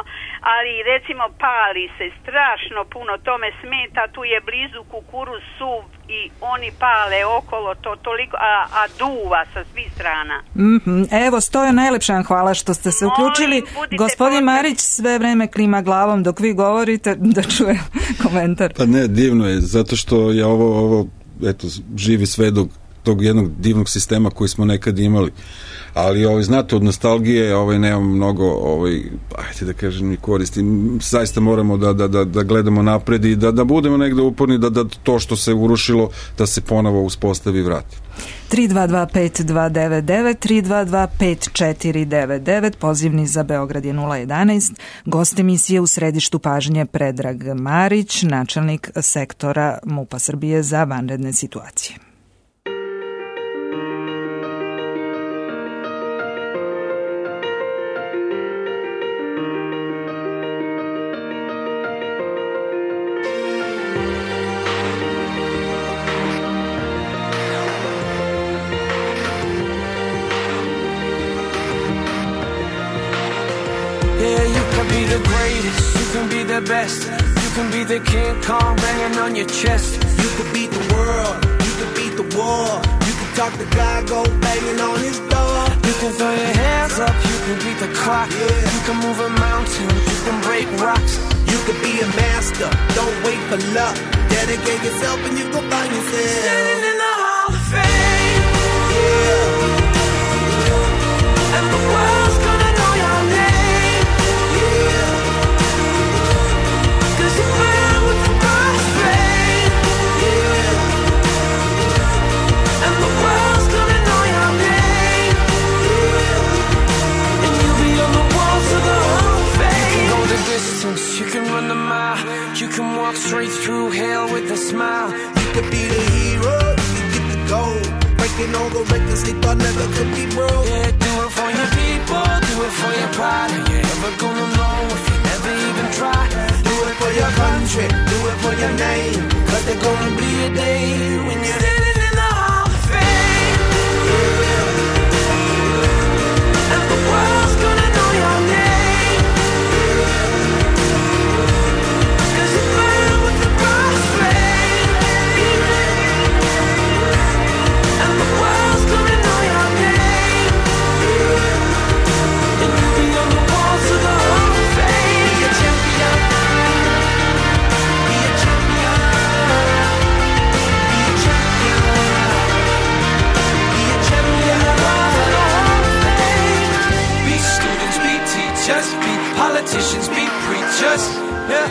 [SPEAKER 6] ali recimo pali se strašno puno, to me smeta, tu je blizu kukuruz suv i oni pale okolo to toliko, a duva sa svih strana.
[SPEAKER 1] Evo, Stojo, najlepša vam hvala što ste se uključili. Gospodin Marić sve vreme klima glavom dok vi govorite, da čujem komentar.
[SPEAKER 2] Pa ne, divno je, zato što je ovo eto, živi svedok tog jednog divnog sistema koji smo nekad imali. Ali znate, od nostalgije nemamo mnogo, ajde da kažem, i koristi. Zaista moramo da gledamo napred i da budemo negde uporni, da to što se urušilo, da se ponovo uspostavi i vrati.
[SPEAKER 1] 3225299, 3225499, pozivni za Beograd je 011. Gost emisije u središtu pažnje Predrag Marić, načelnik sektora MUP-a Srbije za vanredne situacije.
[SPEAKER 7] Best. You can be the King Kong banging on your chest. You could beat the world, you could beat the war. You can talk the guy, go banging on his door. You can throw your hands up, you can beat the clock. You can move a mountain, you can break rocks. You could be a master, don't wait for luck. Dedicate yourself and you go find yourself standing in the Hall of Fame. And the world's gonna know your name. You can run the mile, you can walk straight through hell with a smile. You could be the hero, you get the gold. Breaking all the records they thought never could be broke. Yeah, do it for your people, do it for your pride. Are you ever gonna know if you never even try? Do it for your country, do it for your name. Cause there's gonna be a day when you're standing in the Hall of Fame. And the world's gonna know your name. Politicians, be preachers, yeah.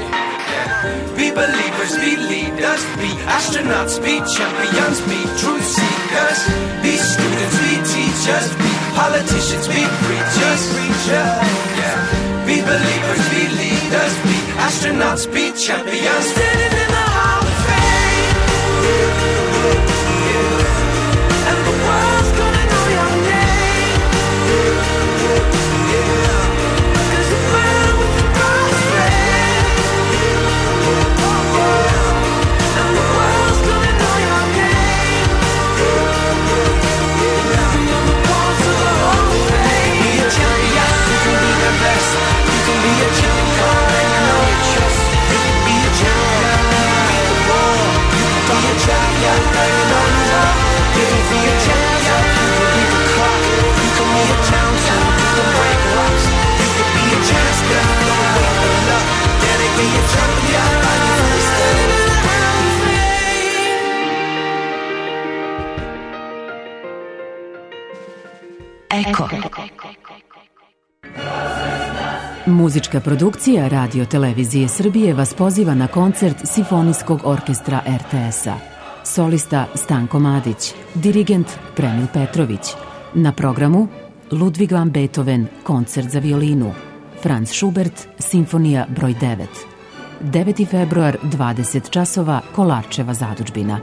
[SPEAKER 7] Be believers, be leaders, be astronauts, be champions, be truth seekers. Be students, be teachers, be politicians, be preachers, yeah. Be believers, be leaders, be astronauts, be champions. Standing in the Hall of Fame. And the world's gonna know your name. Best.
[SPEAKER 8] Eko. Muzička produkcija Radio Televizije Srbije vas poziva na koncert Simfonijskog orkestra RTS-a. Solista Stanko Madić, dirigent Premil Petrović. Na programu Ludwig van Beethoven, koncert za violinu. Franz Schubert, simfonija broj 9. 9. februar, 20 časova, Kolarčeva zadužbina.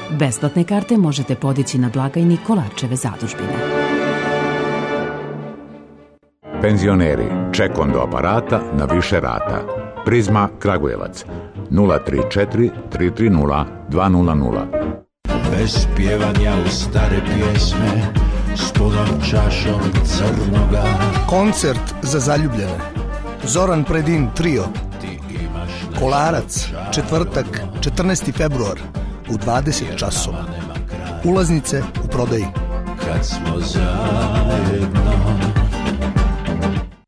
[SPEAKER 8] Besplatne karte možete podići na blagajni Kolarčeve zadužbine.
[SPEAKER 9] Penzioneri, ček onda aparata na više rata. Prizma Kragujevac 034 330 200.
[SPEAKER 10] Bez pjevanja u stare pjesme s punom čašom crnoga.
[SPEAKER 11] Koncert za zaljubljene. Zoran Predin trio. Kolarac, četvrtak, 14. februar u 20 časova. Ulaznice u prodaji.
[SPEAKER 10] Kad smo zajedno.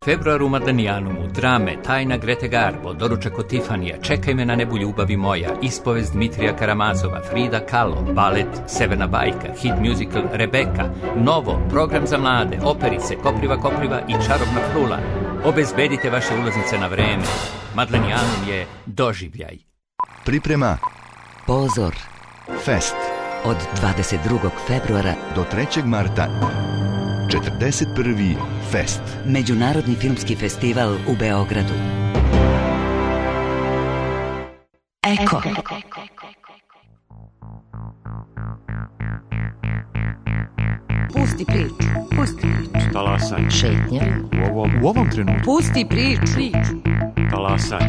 [SPEAKER 12] Februar u Madanijanumu, drame, tajna Grete Garbo, doručak od Tifanija, Čekaj me na nebu ljubavi moja, ispovest Dmitrija Karamazova, Frida Kahlo, balet Severna bajka, hit musical Rebeka, Novo, program za mlade, operice, Kopriva i Čarobna frula. Obezbedite vaše ulaznice na vreme. Madanijanum je doživljaj.
[SPEAKER 13] Priprema
[SPEAKER 8] Pozor
[SPEAKER 13] Fest
[SPEAKER 8] od 22. februara
[SPEAKER 13] do 3. marta. 41. Fest.
[SPEAKER 8] Međunarodni filmski festival u Beogradu. Eko.
[SPEAKER 14] Pusti priču.
[SPEAKER 15] Talasaj.
[SPEAKER 14] Šetnja.
[SPEAKER 15] U ovom trenutku.
[SPEAKER 14] Pusti priču.
[SPEAKER 15] Talasaj.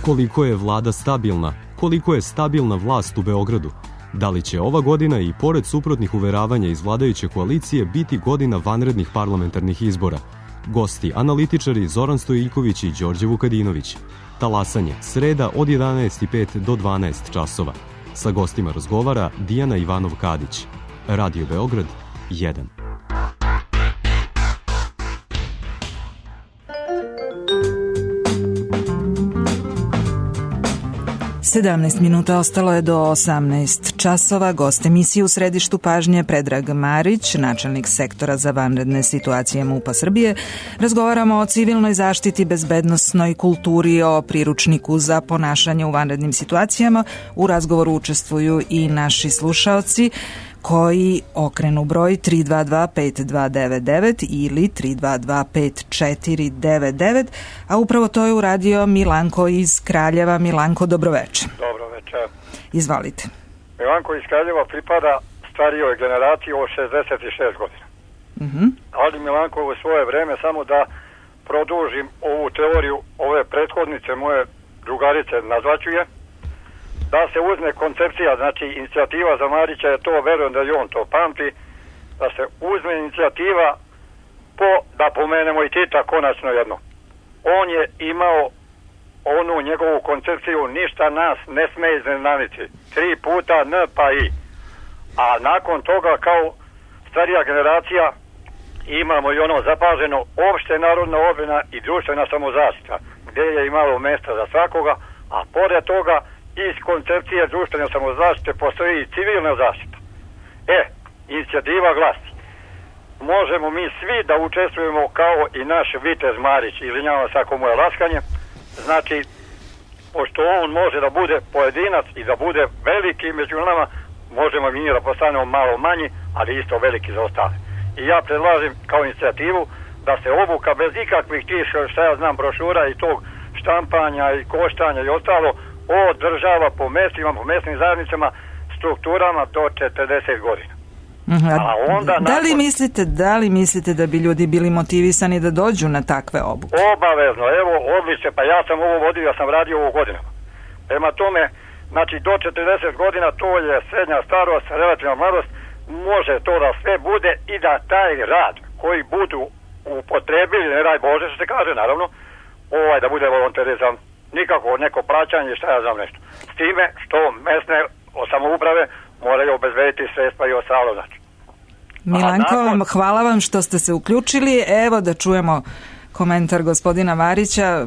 [SPEAKER 16] Koliko je vlada stabilna? Koliko je stabilna vlast u Beogradu? Da li će ova godina i pored suprotnih uveravanja iz vladajuće koalicije biti godina vanrednih parlamentarnih izbora? Gosti, analitičari Zoran Stojiljković i Đorđe Vukadinović. Talasanje, sreda od 11:05 do 12 časova. Sa gostima razgovara Dijana Ivanov-Kadić. Radio Beograd 1.
[SPEAKER 1] 17 minuta ostalo je do 18 časova. Gost emisije u središtu pažnje Predrag Marić, načelnik sektora za vanredne situacije MUP-a Srbije. Razgovaramo o civilnoj zaštiti, bezbednosnoj kulturi, o priručniku za ponašanje u vanrednim situacijama. U razgovoru učestvuju i naši slušaoci koji okrenu broj 322-5299 ili 322-5499, a upravo to je uradio Milanko iz Kraljeva. Milanko, dobroveče.
[SPEAKER 17] Dobroveče.
[SPEAKER 1] Izvolite.
[SPEAKER 17] Milanko iz Kraljeva pripada starijoj generaciji od 66 godina. Ali Milanko u svoje vreme, samo da produžim ovu teoriju ove prethodnice moje drugarice, nazvaću je, da se uzme koncepcija, znači inicijativa za Marića je to, verujem da i on to pamti, da se uzme inicijativa da pomenemo i Tita konačno jedno. On je imao onu njegovu koncepciju, ništa nas ne sme iznenaditi. 3 puta N pa I. A nakon toga kao starija generacija imamo i ono zapaženo opšte narodna obrana i društvena samozaštita, gdje je imalo mjesta za svakoga, a pored toga iz koncepcije društvene samozaštite postoji i civilna zaštita. Inicijativa glasi: možemo mi svi da učestvujemo kao i naš vitez Marić, izvinjavam se ako mu je laskanje, znači, pošto on može da bude pojedinac i da bude veliki među nama, možemo mi da postanemo malo manji, ali isto veliki za ostale. I ja predlažem kao inicijativu da se obuka bez ikakvih tih, šta ja znam, brošura i tog štampanja i koštanja i ostalo održava po mestima, po mesnim zajednicama, strukturama do 40 godina.
[SPEAKER 1] Da li mislite da bi ljudi bili motivisani da dođu na takve obuke?
[SPEAKER 17] Obavezno, evo, odlično, pa ja sam ovo vodio, ja sam radio ovo godinama. Prema tome, znači do 40 godina to je srednja starost, relativna mladost, može to da sve bude i da taj rad koji budu upotrebili, ne daj Bože što se kaže, naravno, da bude volonterizam, nikako neko plaćanje, šta ja znam nešto. S time što mesne samouprave moraju obezbediti sredstva i ostalo, znači.
[SPEAKER 1] Milanko, hvala vam što ste se uključili. Evo da čujemo komentar gospodina Marića.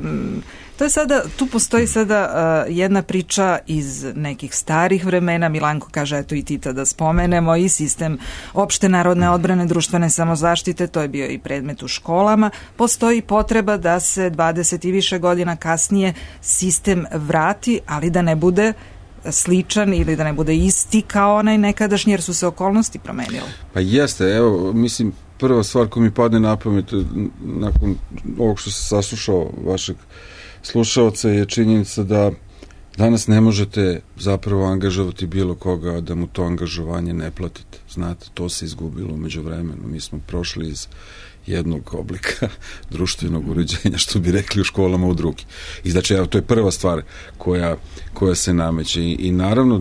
[SPEAKER 1] To je sada, tu postoji sada jedna priča iz nekih starih vremena. Milanko kaže, eto i Tita da spomenemo, i sistem opšte narodne odbrane, društvene samozaštite, to je bio i predmet u školama. Postoji potreba da se 20 i više godina kasnije sistem vrati, ali da ne bude sličan ili da ne bude isti kao onaj nekadašnji, jer su se okolnosti promenile.
[SPEAKER 2] Pa jeste, evo, mislim, prva stvar koja mi padne na pamet nakon ovog što se saslušao vašeg slušaoca je činjenica da danas ne možete zapravo angažovati bilo koga da mu to angažovanje ne platite. Znate, to se izgubilo umeđu vremenu. Mi smo prošli iz jednog oblika društvenog uređenja, što bi rekli u školama, u drugi. I znači, evo, to je prva stvar koja se nameće. I naravno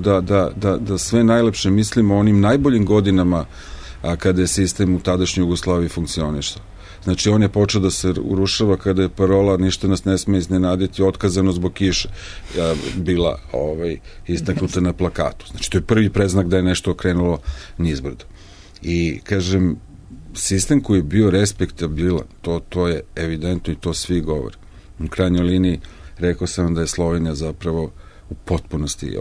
[SPEAKER 2] da sve najlepše mislimo o onim najboljim godinama kada je sistem u tadašnjoj Jugoslaviji funkcionisao. Znači, on je počeo da se urušava kada je parola ništa nas ne sme iznenaditi, otkazano zbog kiše, bila istaknuta na plakatu. Znači, to je prvi preznak da je nešto okrenulo nizbrdo. I, kažem, sistem koji je bio respektabilan, to je evidentno i to svi govore. U krajnjoj liniji rekao sam da je Slovenija zapravo u potpunosti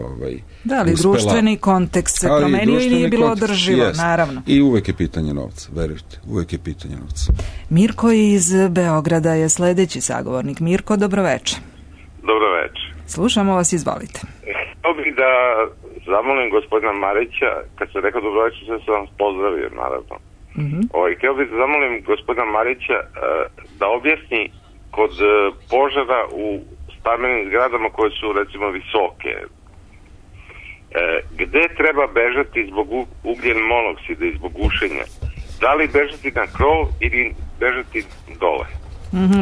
[SPEAKER 1] da, ali
[SPEAKER 2] uspela.
[SPEAKER 1] Društveni kontekst se promenio i nije bilo održivo, naravno.
[SPEAKER 2] I uvek je pitanje novca, verujte, uvek je pitanje novca.
[SPEAKER 1] Mirko iz Beograda je sledeći sagovornik. Mirko, dobroveče.
[SPEAKER 18] Dobroveče.
[SPEAKER 1] Slušamo vas, izvolite.
[SPEAKER 18] Htio bih da zamolim gospodina Marića, kad se rekao dobroveče, sve sam vam pozdravio, naravno. Htio bih da zamolim gospodina Marića da objasni kod požara u stambenim zgradama koje su, recimo, visoke, gde treba bežati zbog ugljen monoksida i zbog gušenja? Da li bežati na krov ili bežati dole?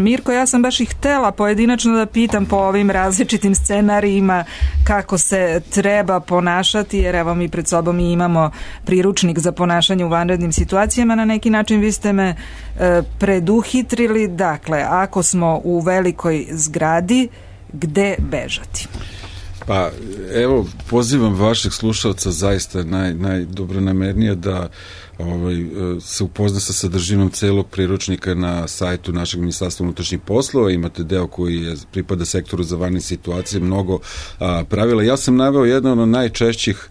[SPEAKER 1] Mirko, ja sam baš i htela pojedinačno da pitam po ovim različitim scenarijima kako se treba ponašati, jer evo mi pred sobom imamo priručnik za ponašanje u vanrednim situacijama. Na neki način vi ste me preduhitrili. Dakle, ako smo u velikoj zgradi, gde bežati?
[SPEAKER 2] Pa, evo, pozivam vašeg slušalca zaista najdobronamernije da se upozna sa sadržinom celog priručnika na sajtu našeg Ministarstva unutrašnjih poslova. Imate deo koji pripada sektoru za vanredne situacije, mnogo pravila. Ja sam naveo jedan od najčešćih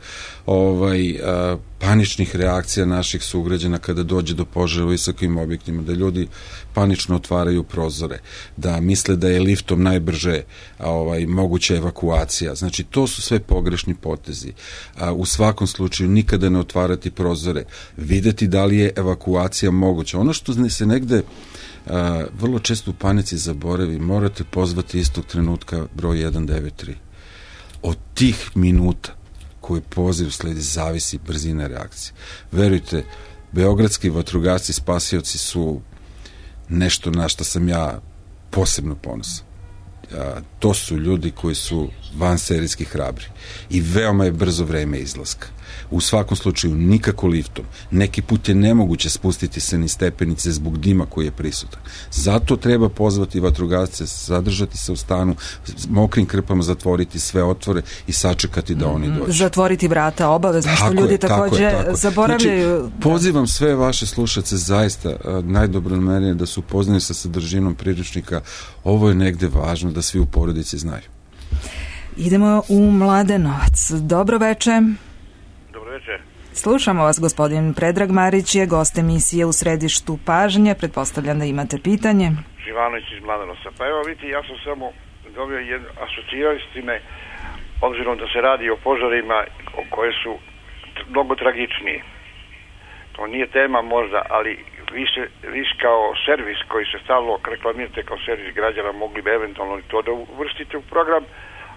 [SPEAKER 2] paničnih reakcija naših sugrađana kada dođe do požara u visokim objektima, da ljudi panično otvaraju prozore, da misle da je liftom najbrže moguća evakuacija. Znači, to su sve pogrešni potezi. U svakom slučaju nikada ne otvarati prozore, videti da li je evakuacija moguća. Ono što se negde vrlo često u panici zaboravi, morate pozvati istog trenutka broj 193. Od tih minuta koji poziv sledi zavisi brzina reakcije. Verujte, beogradski vatrogasci spasioci su nešto na što sam ja posebno ponosan. To su ljudi koji su vanserijski hrabri i veoma je brzo vreme izlaska. U svakom slučaju nikako liftom. Neki put je nemoguće spustiti se ni stepenice zbog dima koji je prisutan. Zato treba pozvati vatrogasce, zadržati se u stanu, mokrim krpama zatvoriti sve otvore i sačekati da oni dođu.
[SPEAKER 1] Zatvoriti vrata obavezno, što ljudi takođe zaboravljaju.
[SPEAKER 2] Znači, pozivam sve vaše slušace zaista najdobronamernije da su upoznani sa sadržinom priručnika. Ovo je negde važno da svi u porodici znaju.
[SPEAKER 1] Idemo u Mladenovac. Dobro veče.
[SPEAKER 18] Dobro večer.
[SPEAKER 1] Slušamo vas, gospodin Predrag Marić je gost emisije U središtu pažnje. Pretpostavljam da imate pitanje.
[SPEAKER 19] Živanović iz Mladenovca. Pa evo vidite, ja sam samo dobio asocirali s time, obzirom da se radi o požarima koje su mnogo tragičnije. To nije tema možda, ali vi kao servis koji se stalno reklamirate kao servis građana, mogli bi eventualno to da uvrstite u program,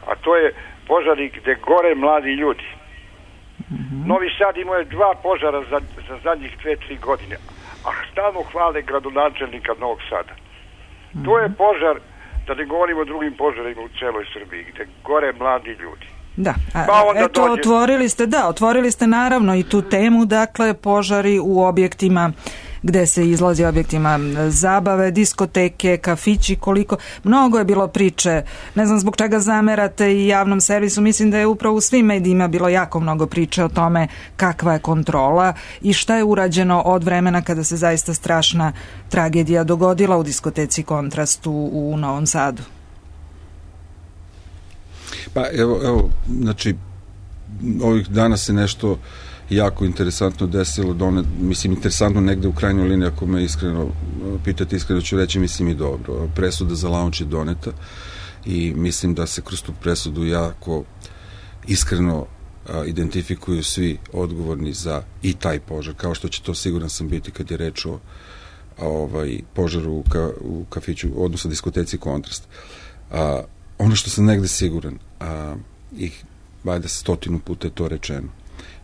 [SPEAKER 19] a to je požari gde gore mladi ljudi. Novi Sad imao je 2 požara za zadnjih 2-3 godine, a stalno hvale gradonačelnika Novog Sada. To je požar, da ne govorimo o drugim požarima u celoj Srbiji, gde gore mladi ljudi.
[SPEAKER 1] Da, eto, otvorili ste naravno i tu temu, dakle, požari u objektima gde se izlazi, objektima zabave, diskoteke, kafići, koliko, mnogo je bilo priče, ne znam zbog čega zamerate i javnom servisu, mislim da je upravo u svim medijima bilo jako mnogo priče o tome kakva je kontrola i šta je urađeno od vremena kada se zaista strašna tragedija dogodila u diskoteci Kontrast u Novom Sadu.
[SPEAKER 2] Pa evo, znači, ovih dana se nešto jako interesantno desilo, mislim, interesantno negde u krajnjoj liniji, ako me iskreno pitate, iskreno ću reći, mislim i dobro. Presuda za launch je doneta i mislim da se kroz tu presudu jako iskreno identifikuju svi odgovorni za i taj požar, kao što će to, siguran sam, biti kad je reč o požaru u kafiću, odnosno diskoteci Kontrast. Ono što sam negde siguran, valjda 100 puta je to rečeno,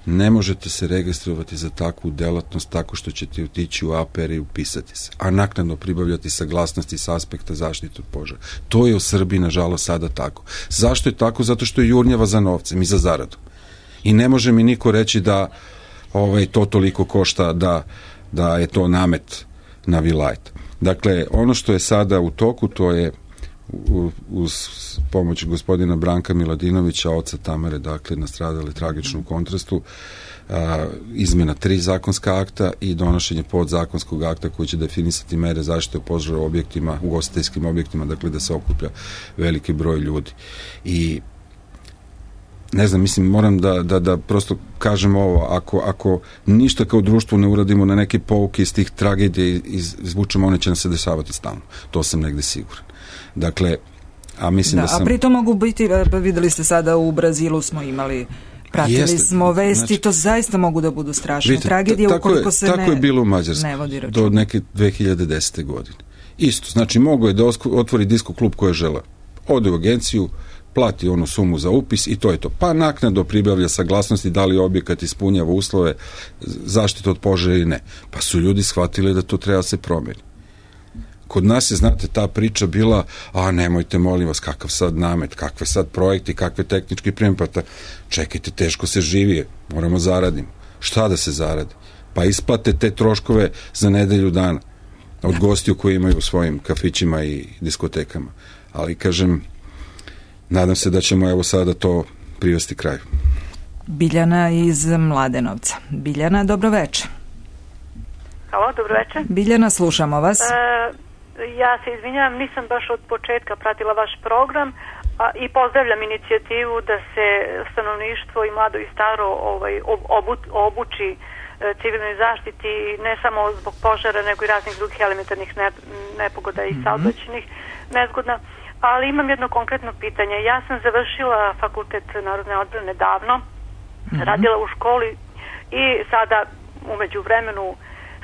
[SPEAKER 2] ne možete se registrovati za takvu delatnost tako što ćete otići u APR i upisati se, a naknadno pribavljati saglasnosti sa aspekta zaštite od požara. To je u Srbiji, nažalost, sada tako. Zašto je tako? Zato što je jurnjava za novcem i za zaradu. I ne može mi niko reći da to toliko košta, da je to namet na vilajet. Dakle, ono što je sada u toku, to je uz pomoć gospodina Branka Miladinovića, oca Tamare, dakle, nastradali tragično u Kontrastu, izmena 3 zakonska akta i donošenje podzakonskog akta koji će definisati mere zaštite od požara u objektima, ugostiteljskim objektima, dakle da se okuplja veliki broj ljudi. I ne znam, mislim, moram da prosto kažem ovo, ako ništa kao društvo ne uradimo na neke pouke iz tih tragedije izvučemo, one će nam se dešavati stalno. To sam negde siguran. Dakle, a mislim da sam...
[SPEAKER 1] A pritom mogu biti, videli ste sada u Brazilu smo imali, pratili smo vesti, znači, to zaista mogu da budu strašne tragedije ukoliko se
[SPEAKER 2] tako je bilo u Mađarskoj do neke 2010. godine. Isto, znači mogo je da otvori disko klub koja žele. Ode u agenciju, plati onu sumu za upis i to je to. Pa naknadno pribavlja saglasnosti da li objekat ispunjava uslove zaštite od požara ili ne. Pa su ljudi shvatili da to treba se promeni. Kod nas je, znate, ta priča bila, nemojte, molim vas, kakav sad namet, kakve sad projekti, kakve tehnički pripremata. Čekajte, teško se živi, moramo zaradimo. Šta da se zaradi? Pa isplate te troškove za nedelju dana od gostiju koji imaju u svojim kafićima i diskotekama. Ali, kažem, nadam se da ćemo evo sada to privesti kraju.
[SPEAKER 1] Biljana iz Mladenovca. Biljana, dobro veče.
[SPEAKER 20] Halo, dobro veče.
[SPEAKER 1] Biljana, slušamo vas.
[SPEAKER 20] Ja se izvinjavam, nisam baš od početka pratila vaš program i pozdravljam inicijativu da se stanovništvo i mlado i staro obuči civilnoj zaštiti, ne samo zbog požara, nego i raznih drugih elementarnih nepogoda i saobraćajnih nezgoda. Ali imam jedno konkretno pitanje. Ja sam završila fakultet narodne odbrane davno, radila u školi i sada umeđu vremenu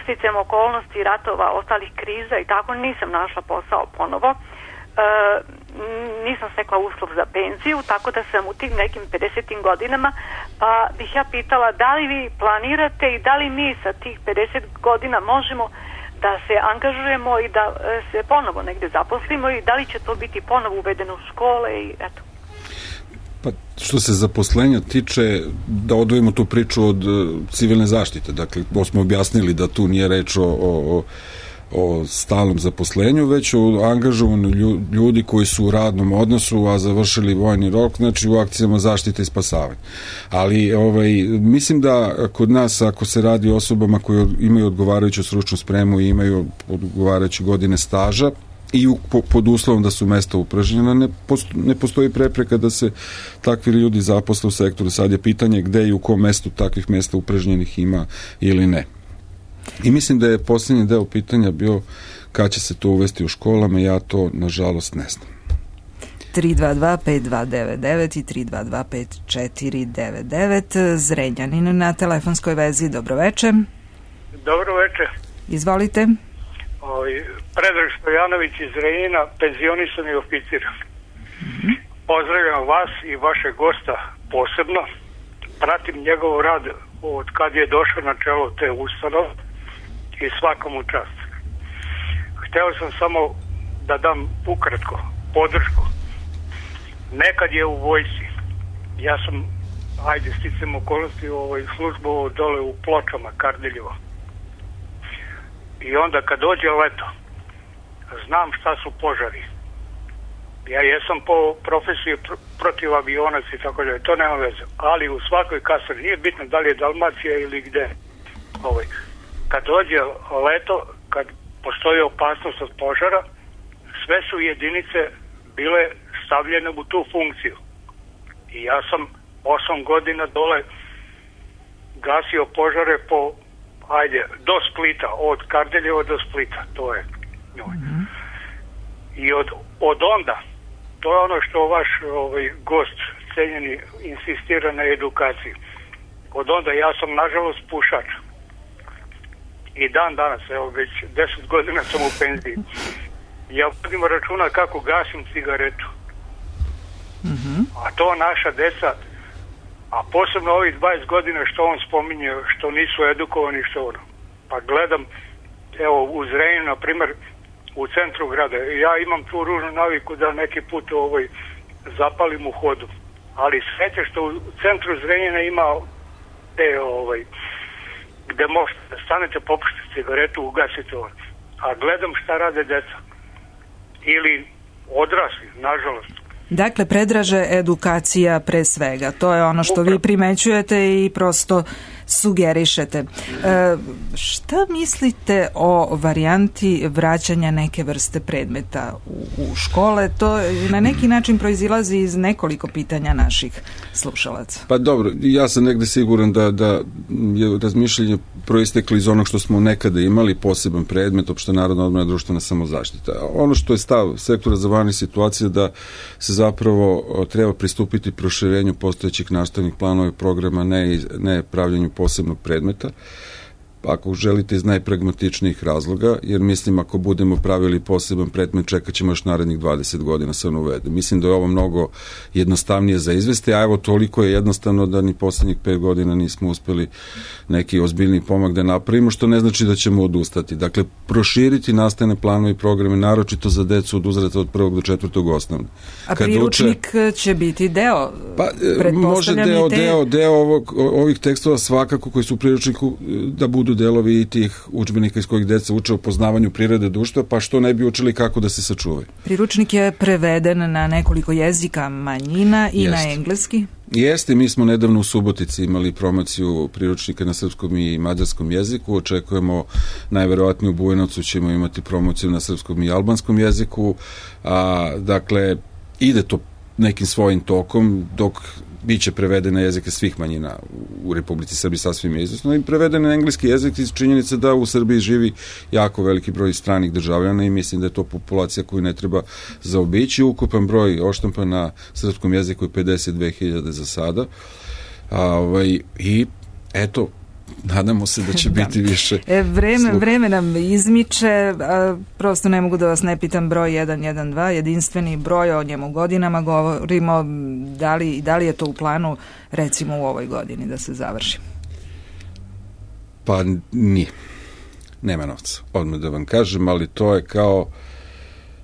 [SPEAKER 20] sticajem okolnosti, ratova, ostalih kriza i tako nisam našla posao ponovo. Nisam stekla uslov za penziju, tako da sam u tim nekim 50. godinama, pa bih ja pitala da li vi planirate i da li mi sa tih 50 godina možemo da se angažujemo i da se ponovo negde zaposlimo i da li će to biti ponovo uvedeno u škole i eto.
[SPEAKER 2] Pa što se zaposlenja tiče, da odvojimo tu priču od civilne zaštite. Dakle, smo objasnili da tu nije reč o stalnom zaposlenju, već o angažovanju ljudi koji su u radnom odnosu, a završili vojni rok, znači u akcijama zaštite i spasavanja. Ali mislim da kod nas, ako se radi o osobama koje imaju odgovarajuću stručnu spremu i imaju odgovarajuće godine staža, i pod uslovom da su mesta upražnjena, ne postoji prepreka da se takvi ljudi zaposle u sektoru. Sad je pitanje gde i u kom mestu takvih mesta upražnjenih ima ili ne. I mislim da je posljednji deo pitanja bio kad će se to uvesti u školama, ja to nažalost ne znam.
[SPEAKER 1] 322-5299 i 322-5499. Zrenjanin na telefonskoj vezi. Dobro veče.
[SPEAKER 21] Dobro veče.
[SPEAKER 1] Izvolite.
[SPEAKER 21] Predrag Stojanović iz Zrenjanina, penzionisani oficir. Pozdravljam vas i vašeg gosta posebno. Pratim njegov rad od kad je došao na čelo te ustanove i svakom u čast. Hteo sam samo da dam ukratko podršku. Nekad je u vojsci, ja sam, sticam okolnosti, službu dole u Pločama, Kardeljevo. I onda kad dođe leto, znam šta su požari. Ja jesam po profesiji protiv avionaca i tako dalje, to nema veze. Ali u svakoj kasarni, nije bitno da li je Dalmacija ili gde. Kad dođe leto, kad postoji opasnost od požara, sve su jedinice bile stavljene u tu funkciju. I ja sam 8 godina dole gasio požare do Splita, od Kardeljeva do Splita, to je njoj. I od onda, to je ono što vaš gost cenjeni insistira na edukaciji. Od onda ja sam nažalost pušač. I dan danas, evo već 10 godina sam u penziji. Ja vodim računa kako gasim cigaretu. A to naša deca, a posebno ovih 20 godina što on spominje, što nisu edukovani, što ono. Pa gledam, evo u Zrenjaninu, na primjer, u centru grada. Ja imam tu ružnu naviku da neki put zapalim u hodu. Ali sreće što u centru Zrenjanina ima te gde možete da stanete, popušite cigaretu, ugasite ovo. A gledam šta rade deca. Ili odrasli, nažalost.
[SPEAKER 1] Dakle, predraže edukacija pre svega. To je ono što vi primećujete i prosto sugerišete. Šta mislite o varijanti vraćanja neke vrste predmeta u škole? To na neki način proizilazi iz nekoliko pitanja naših slušalaca.
[SPEAKER 2] Pa dobro, ja sam negde siguran da je razmišljanje proisteklo iz onog što smo nekada imali, poseban predmet, opšte narodna odbrana, društvena samozaštita. Ono što je stav sektora za vanredne situacije da se zapravo treba pristupiti proširenju postojećih nastavnih planova i programa, ne pravljenju posebnog predmeta, ako želite iz najpragmatičnijih razloga, jer mislim ako budemo pravili poseban predmet, čekat ćemo još narednih 20 godina se on uvede. Mislim da je ovo mnogo jednostavnije za izvesti, a evo toliko je jednostavno da ni poslednjih 5 godina nismo uspeli neki ozbiljni pomak da napravimo, što ne znači da ćemo odustati. Dakle, proširiti nastavne planove i programe, naročito za decu od uzrasta od 1. do 4. osnovne.
[SPEAKER 1] A priručnik će biti deo,
[SPEAKER 2] pretpostavljam, deo ovih tekstova svakako koji su u priručniku da budu delovi i tih udžbenika iz kojih deca uče o poznavanju prirode društva, pa što ne bi učili kako da se sačuvaju.
[SPEAKER 1] Priručnik je preveden na nekoliko jezika manjina i na engleski?
[SPEAKER 2] Jeste, mi smo nedavno u Subotici imali promociju priručnika na srpskom i mađarskom jeziku, očekujemo najverovatnije u Bujanovcu ćemo imati promociju na srpskom i albanskom jeziku, dakle, ide to nekim svojim tokom, dok biće prevedene jezike svih manjina u Republici Srbiji sasvim izvesno i prevedene na engleski jezik iz činjenice da u Srbiji živi jako veliki broj stranih državljana i mislim da je to populacija koju ne treba zaobići. Ukupan broj oštampan na srpskom jeziku je 52.000 za sada. I eto, nadamo se da će biti više.
[SPEAKER 1] Vreme nam izmiče, prosto ne mogu da vas ne pitam broj 112, jedinstveni broj, o njemu godinama govorimo, da li je to u planu recimo u ovoj godini da se završi?
[SPEAKER 2] Pa nije. Nema novca, odmah da vam kažem, ali to je kao,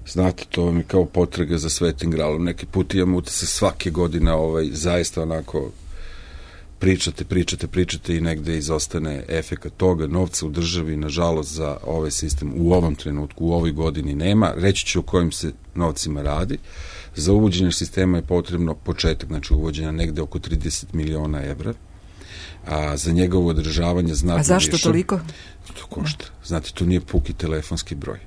[SPEAKER 2] znate, to vam je kao potraga za Svetim gralom. Neki put imamo utisak svake godine zaista onako pričate i negde izostane efekat toga, novca u državi, nažalost, za ovaj sistem u ovom trenutku, u ovoj godini nema. Reći ću o kojim se novcima radi. Za uvođenje sistema je potrebno početak, znači uvođenja negde oko 30 miliona evra, a za njegovo održavanje znatno više.
[SPEAKER 1] A zašto toliko?
[SPEAKER 2] To košta. Znate, to nije puki telefonski broj.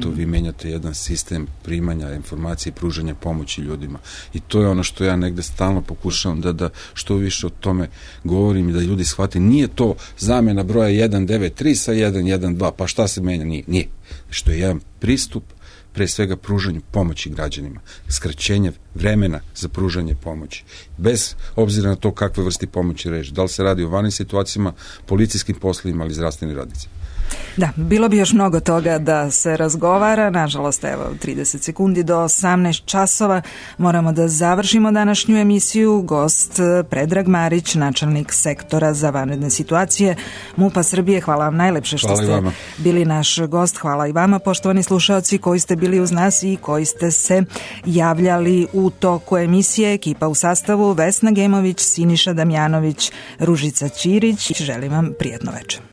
[SPEAKER 2] To vi menjate jedan sistem primanja informacije i pružanja pomoći ljudima. I to je ono što ja negde stalno pokušavam da što više o tome govorim i da ljudi shvate. Nije to zamena broja 193 sa 112, pa šta se menja? Nije. Što je jedan pristup pre svega pružanju pomoći građanima, skraćenje vremena za pružanje pomoći, bez obzira na to kakve vrsti pomoći reći. Da li se radi o vanrednim situacijama, policijskim poslovima ili zdravstvenim radnicima.
[SPEAKER 1] Da, bilo bi još mnogo toga da se razgovara, nažalost, evo, 30 sekundi do 18 časova moramo da završimo današnju emisiju. Gost Predrag Marić, načelnik sektora za vanredne situacije MUP-a Srbije. Hvala vam najlepše što ste bili naš gost. Hvala i vama, poštovani slušaoci, koji ste bili uz nas i koji ste se javljali u toku emisije. Ekipa u sastavu Vesna Gemović, Siniša Damjanović, Ružica Ćirić. Želim vam prijatno večer.